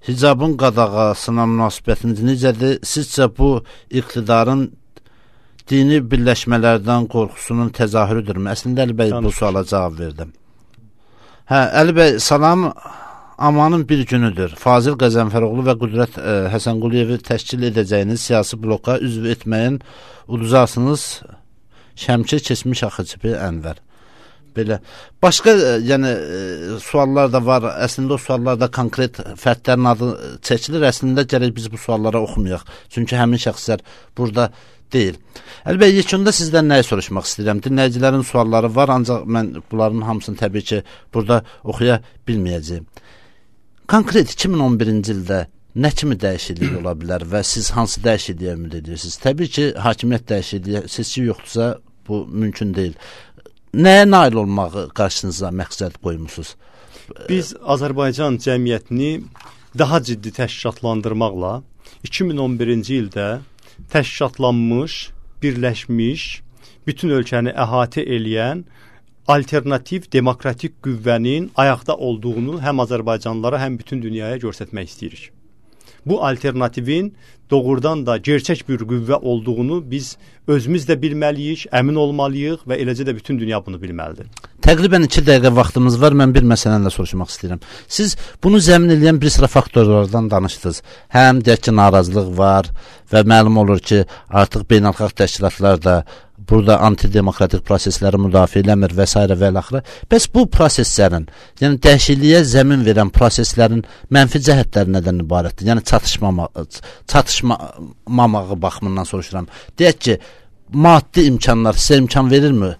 hicabın qadağasına münasibətiniz necədir? Sizcə bu iqtidarın dini birləşmələrdən qorxusunun təzahürüdürmü? Əslində Əli bəy bu suala cavab verdim. Hə, Əli bəy, salam, amanın bir günüdür. Fazil Qəzənfəroğlu və Qüdrət e, Həsənquliyevi təşkil edəcəyiniz siyasi bloka üzv etməyin uduzarsınız. Şəmkir keçmiş Axıcıbi Ənvər. Belə. Başqa e, yəni e, suallar da var. Əslində o suallarda konkret fərdlərin adı çəkilir. Əslində gərək biz bu suallara oxumayaq. Çünki həmin şəxslər burada deyil. Əlbəttə, yekunda sizdən nəyi soruşmaq istəyirəm? Dinləyicilərin sualları var, ancaq mən bunların hamısını təbii ki, burada oxuya bilməyəcəyim. Konkret iki min on birinci ildə nə kimi dəyişiklik ola bilər və siz hansı dəyişikliyə ümid edirsiniz? Təbii ki, hakimiyyət dəyişikliyi, seçki yoxdursa bu mümkün deyil. Nəyə nail olmağı qarşınıza məqsəd qoymusunuz? Biz Azərbaycan cəmiyyətini daha ciddi təşkilatlandırmaqla iki min on birinci ildə təşkilatlanmış, birləşmiş, bütün ölkəni əhatə eləyən alternativ demokratik qüvvənin ayaqda olduğunu həm Azərbaycanlılara, həm bütün dünyaya göstərmək istəyirik. Bu alternativin doğrudan da gerçək bir qüvvə olduğunu biz özümüz də bilməliyik, əmin olmalıyıq və eləcə də bütün dünya bunu bilməlidir. Təqribən iki dəqiqə vaxtımız var. Mən bir məsələni də soruşmaq istəyirəm. Siz bunu zəmin edən bir sıra faktorlardan danışdınız. Həm deyək ki, narazılıq var və məlum olur ki, artıq beynəlxalq təşkilatlar da burada antidemokratik prosesləri müdafiə eləmir və s. və l-axırı. Bəs bu proseslərin, yəni dəyişikliyə zəmin verən proseslərin mənfi cəhətləri nədən ibarətdir? Yəni çatışmama, çatışmamağı baxımından soruşuram. Deyək ki, maddi imkanlar sizə imkan verirmi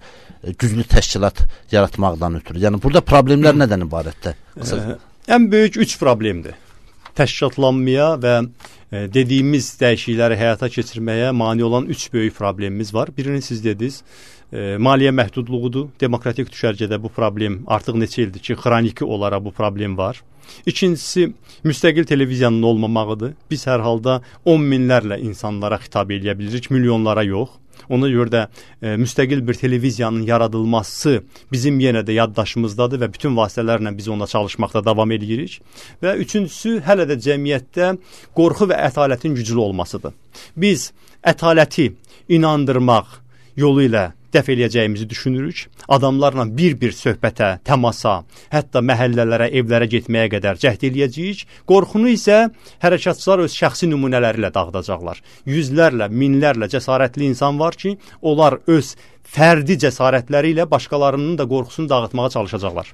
güclü təşkilat yaratmaqdan ötürü? Yəni burada problemlər nədən ibarətdir? Ə, ən böyük üç problemdir. Təşkilatlanmaya və e, dediyimiz dəyişiklikləri həyata keçirməyə mane olan üç böyük problemimiz var. Birini siz dediniz, e, maliyyə məhdudluğudur. Demokratik düşərgədə bu problem artıq neçə ildir ki, xroniki olaraq bu problem var. İkincisi, müstəqil televiziyanın olmamağıdır. Biz hər halda on minlərlə insanlara xitab edə bilirik, milyonlara yox. Ona görə də e, müstəqil bir televiziyanın yaradılması bizim yenə də yaddaşımızdadır və bütün vasitələrlə biz ona çalışmaqda davam edirik. Və üçüncüsü, hələ də cəmiyyətdə qorxu və ətalətin güclü olmasıdır. Biz ətaləti inandırmaq yolu ilə dəf eləyəcəyimizi düşünürük. Adamlarla bir-bir söhbətə, təmasa, hətta məhəllələrə, evlərə getməyə qədər cəhd eləyəcəyik. Qorxunu isə hərəkatçılar öz şəxsi nümunələri ilə dağıdacaqlar. Yüzlərlə, minlərlə cəsarətli insan var ki, onlar öz fərdi cəsarətləri ilə başqalarının da qorxusunu dağıtmağa çalışacaqlar.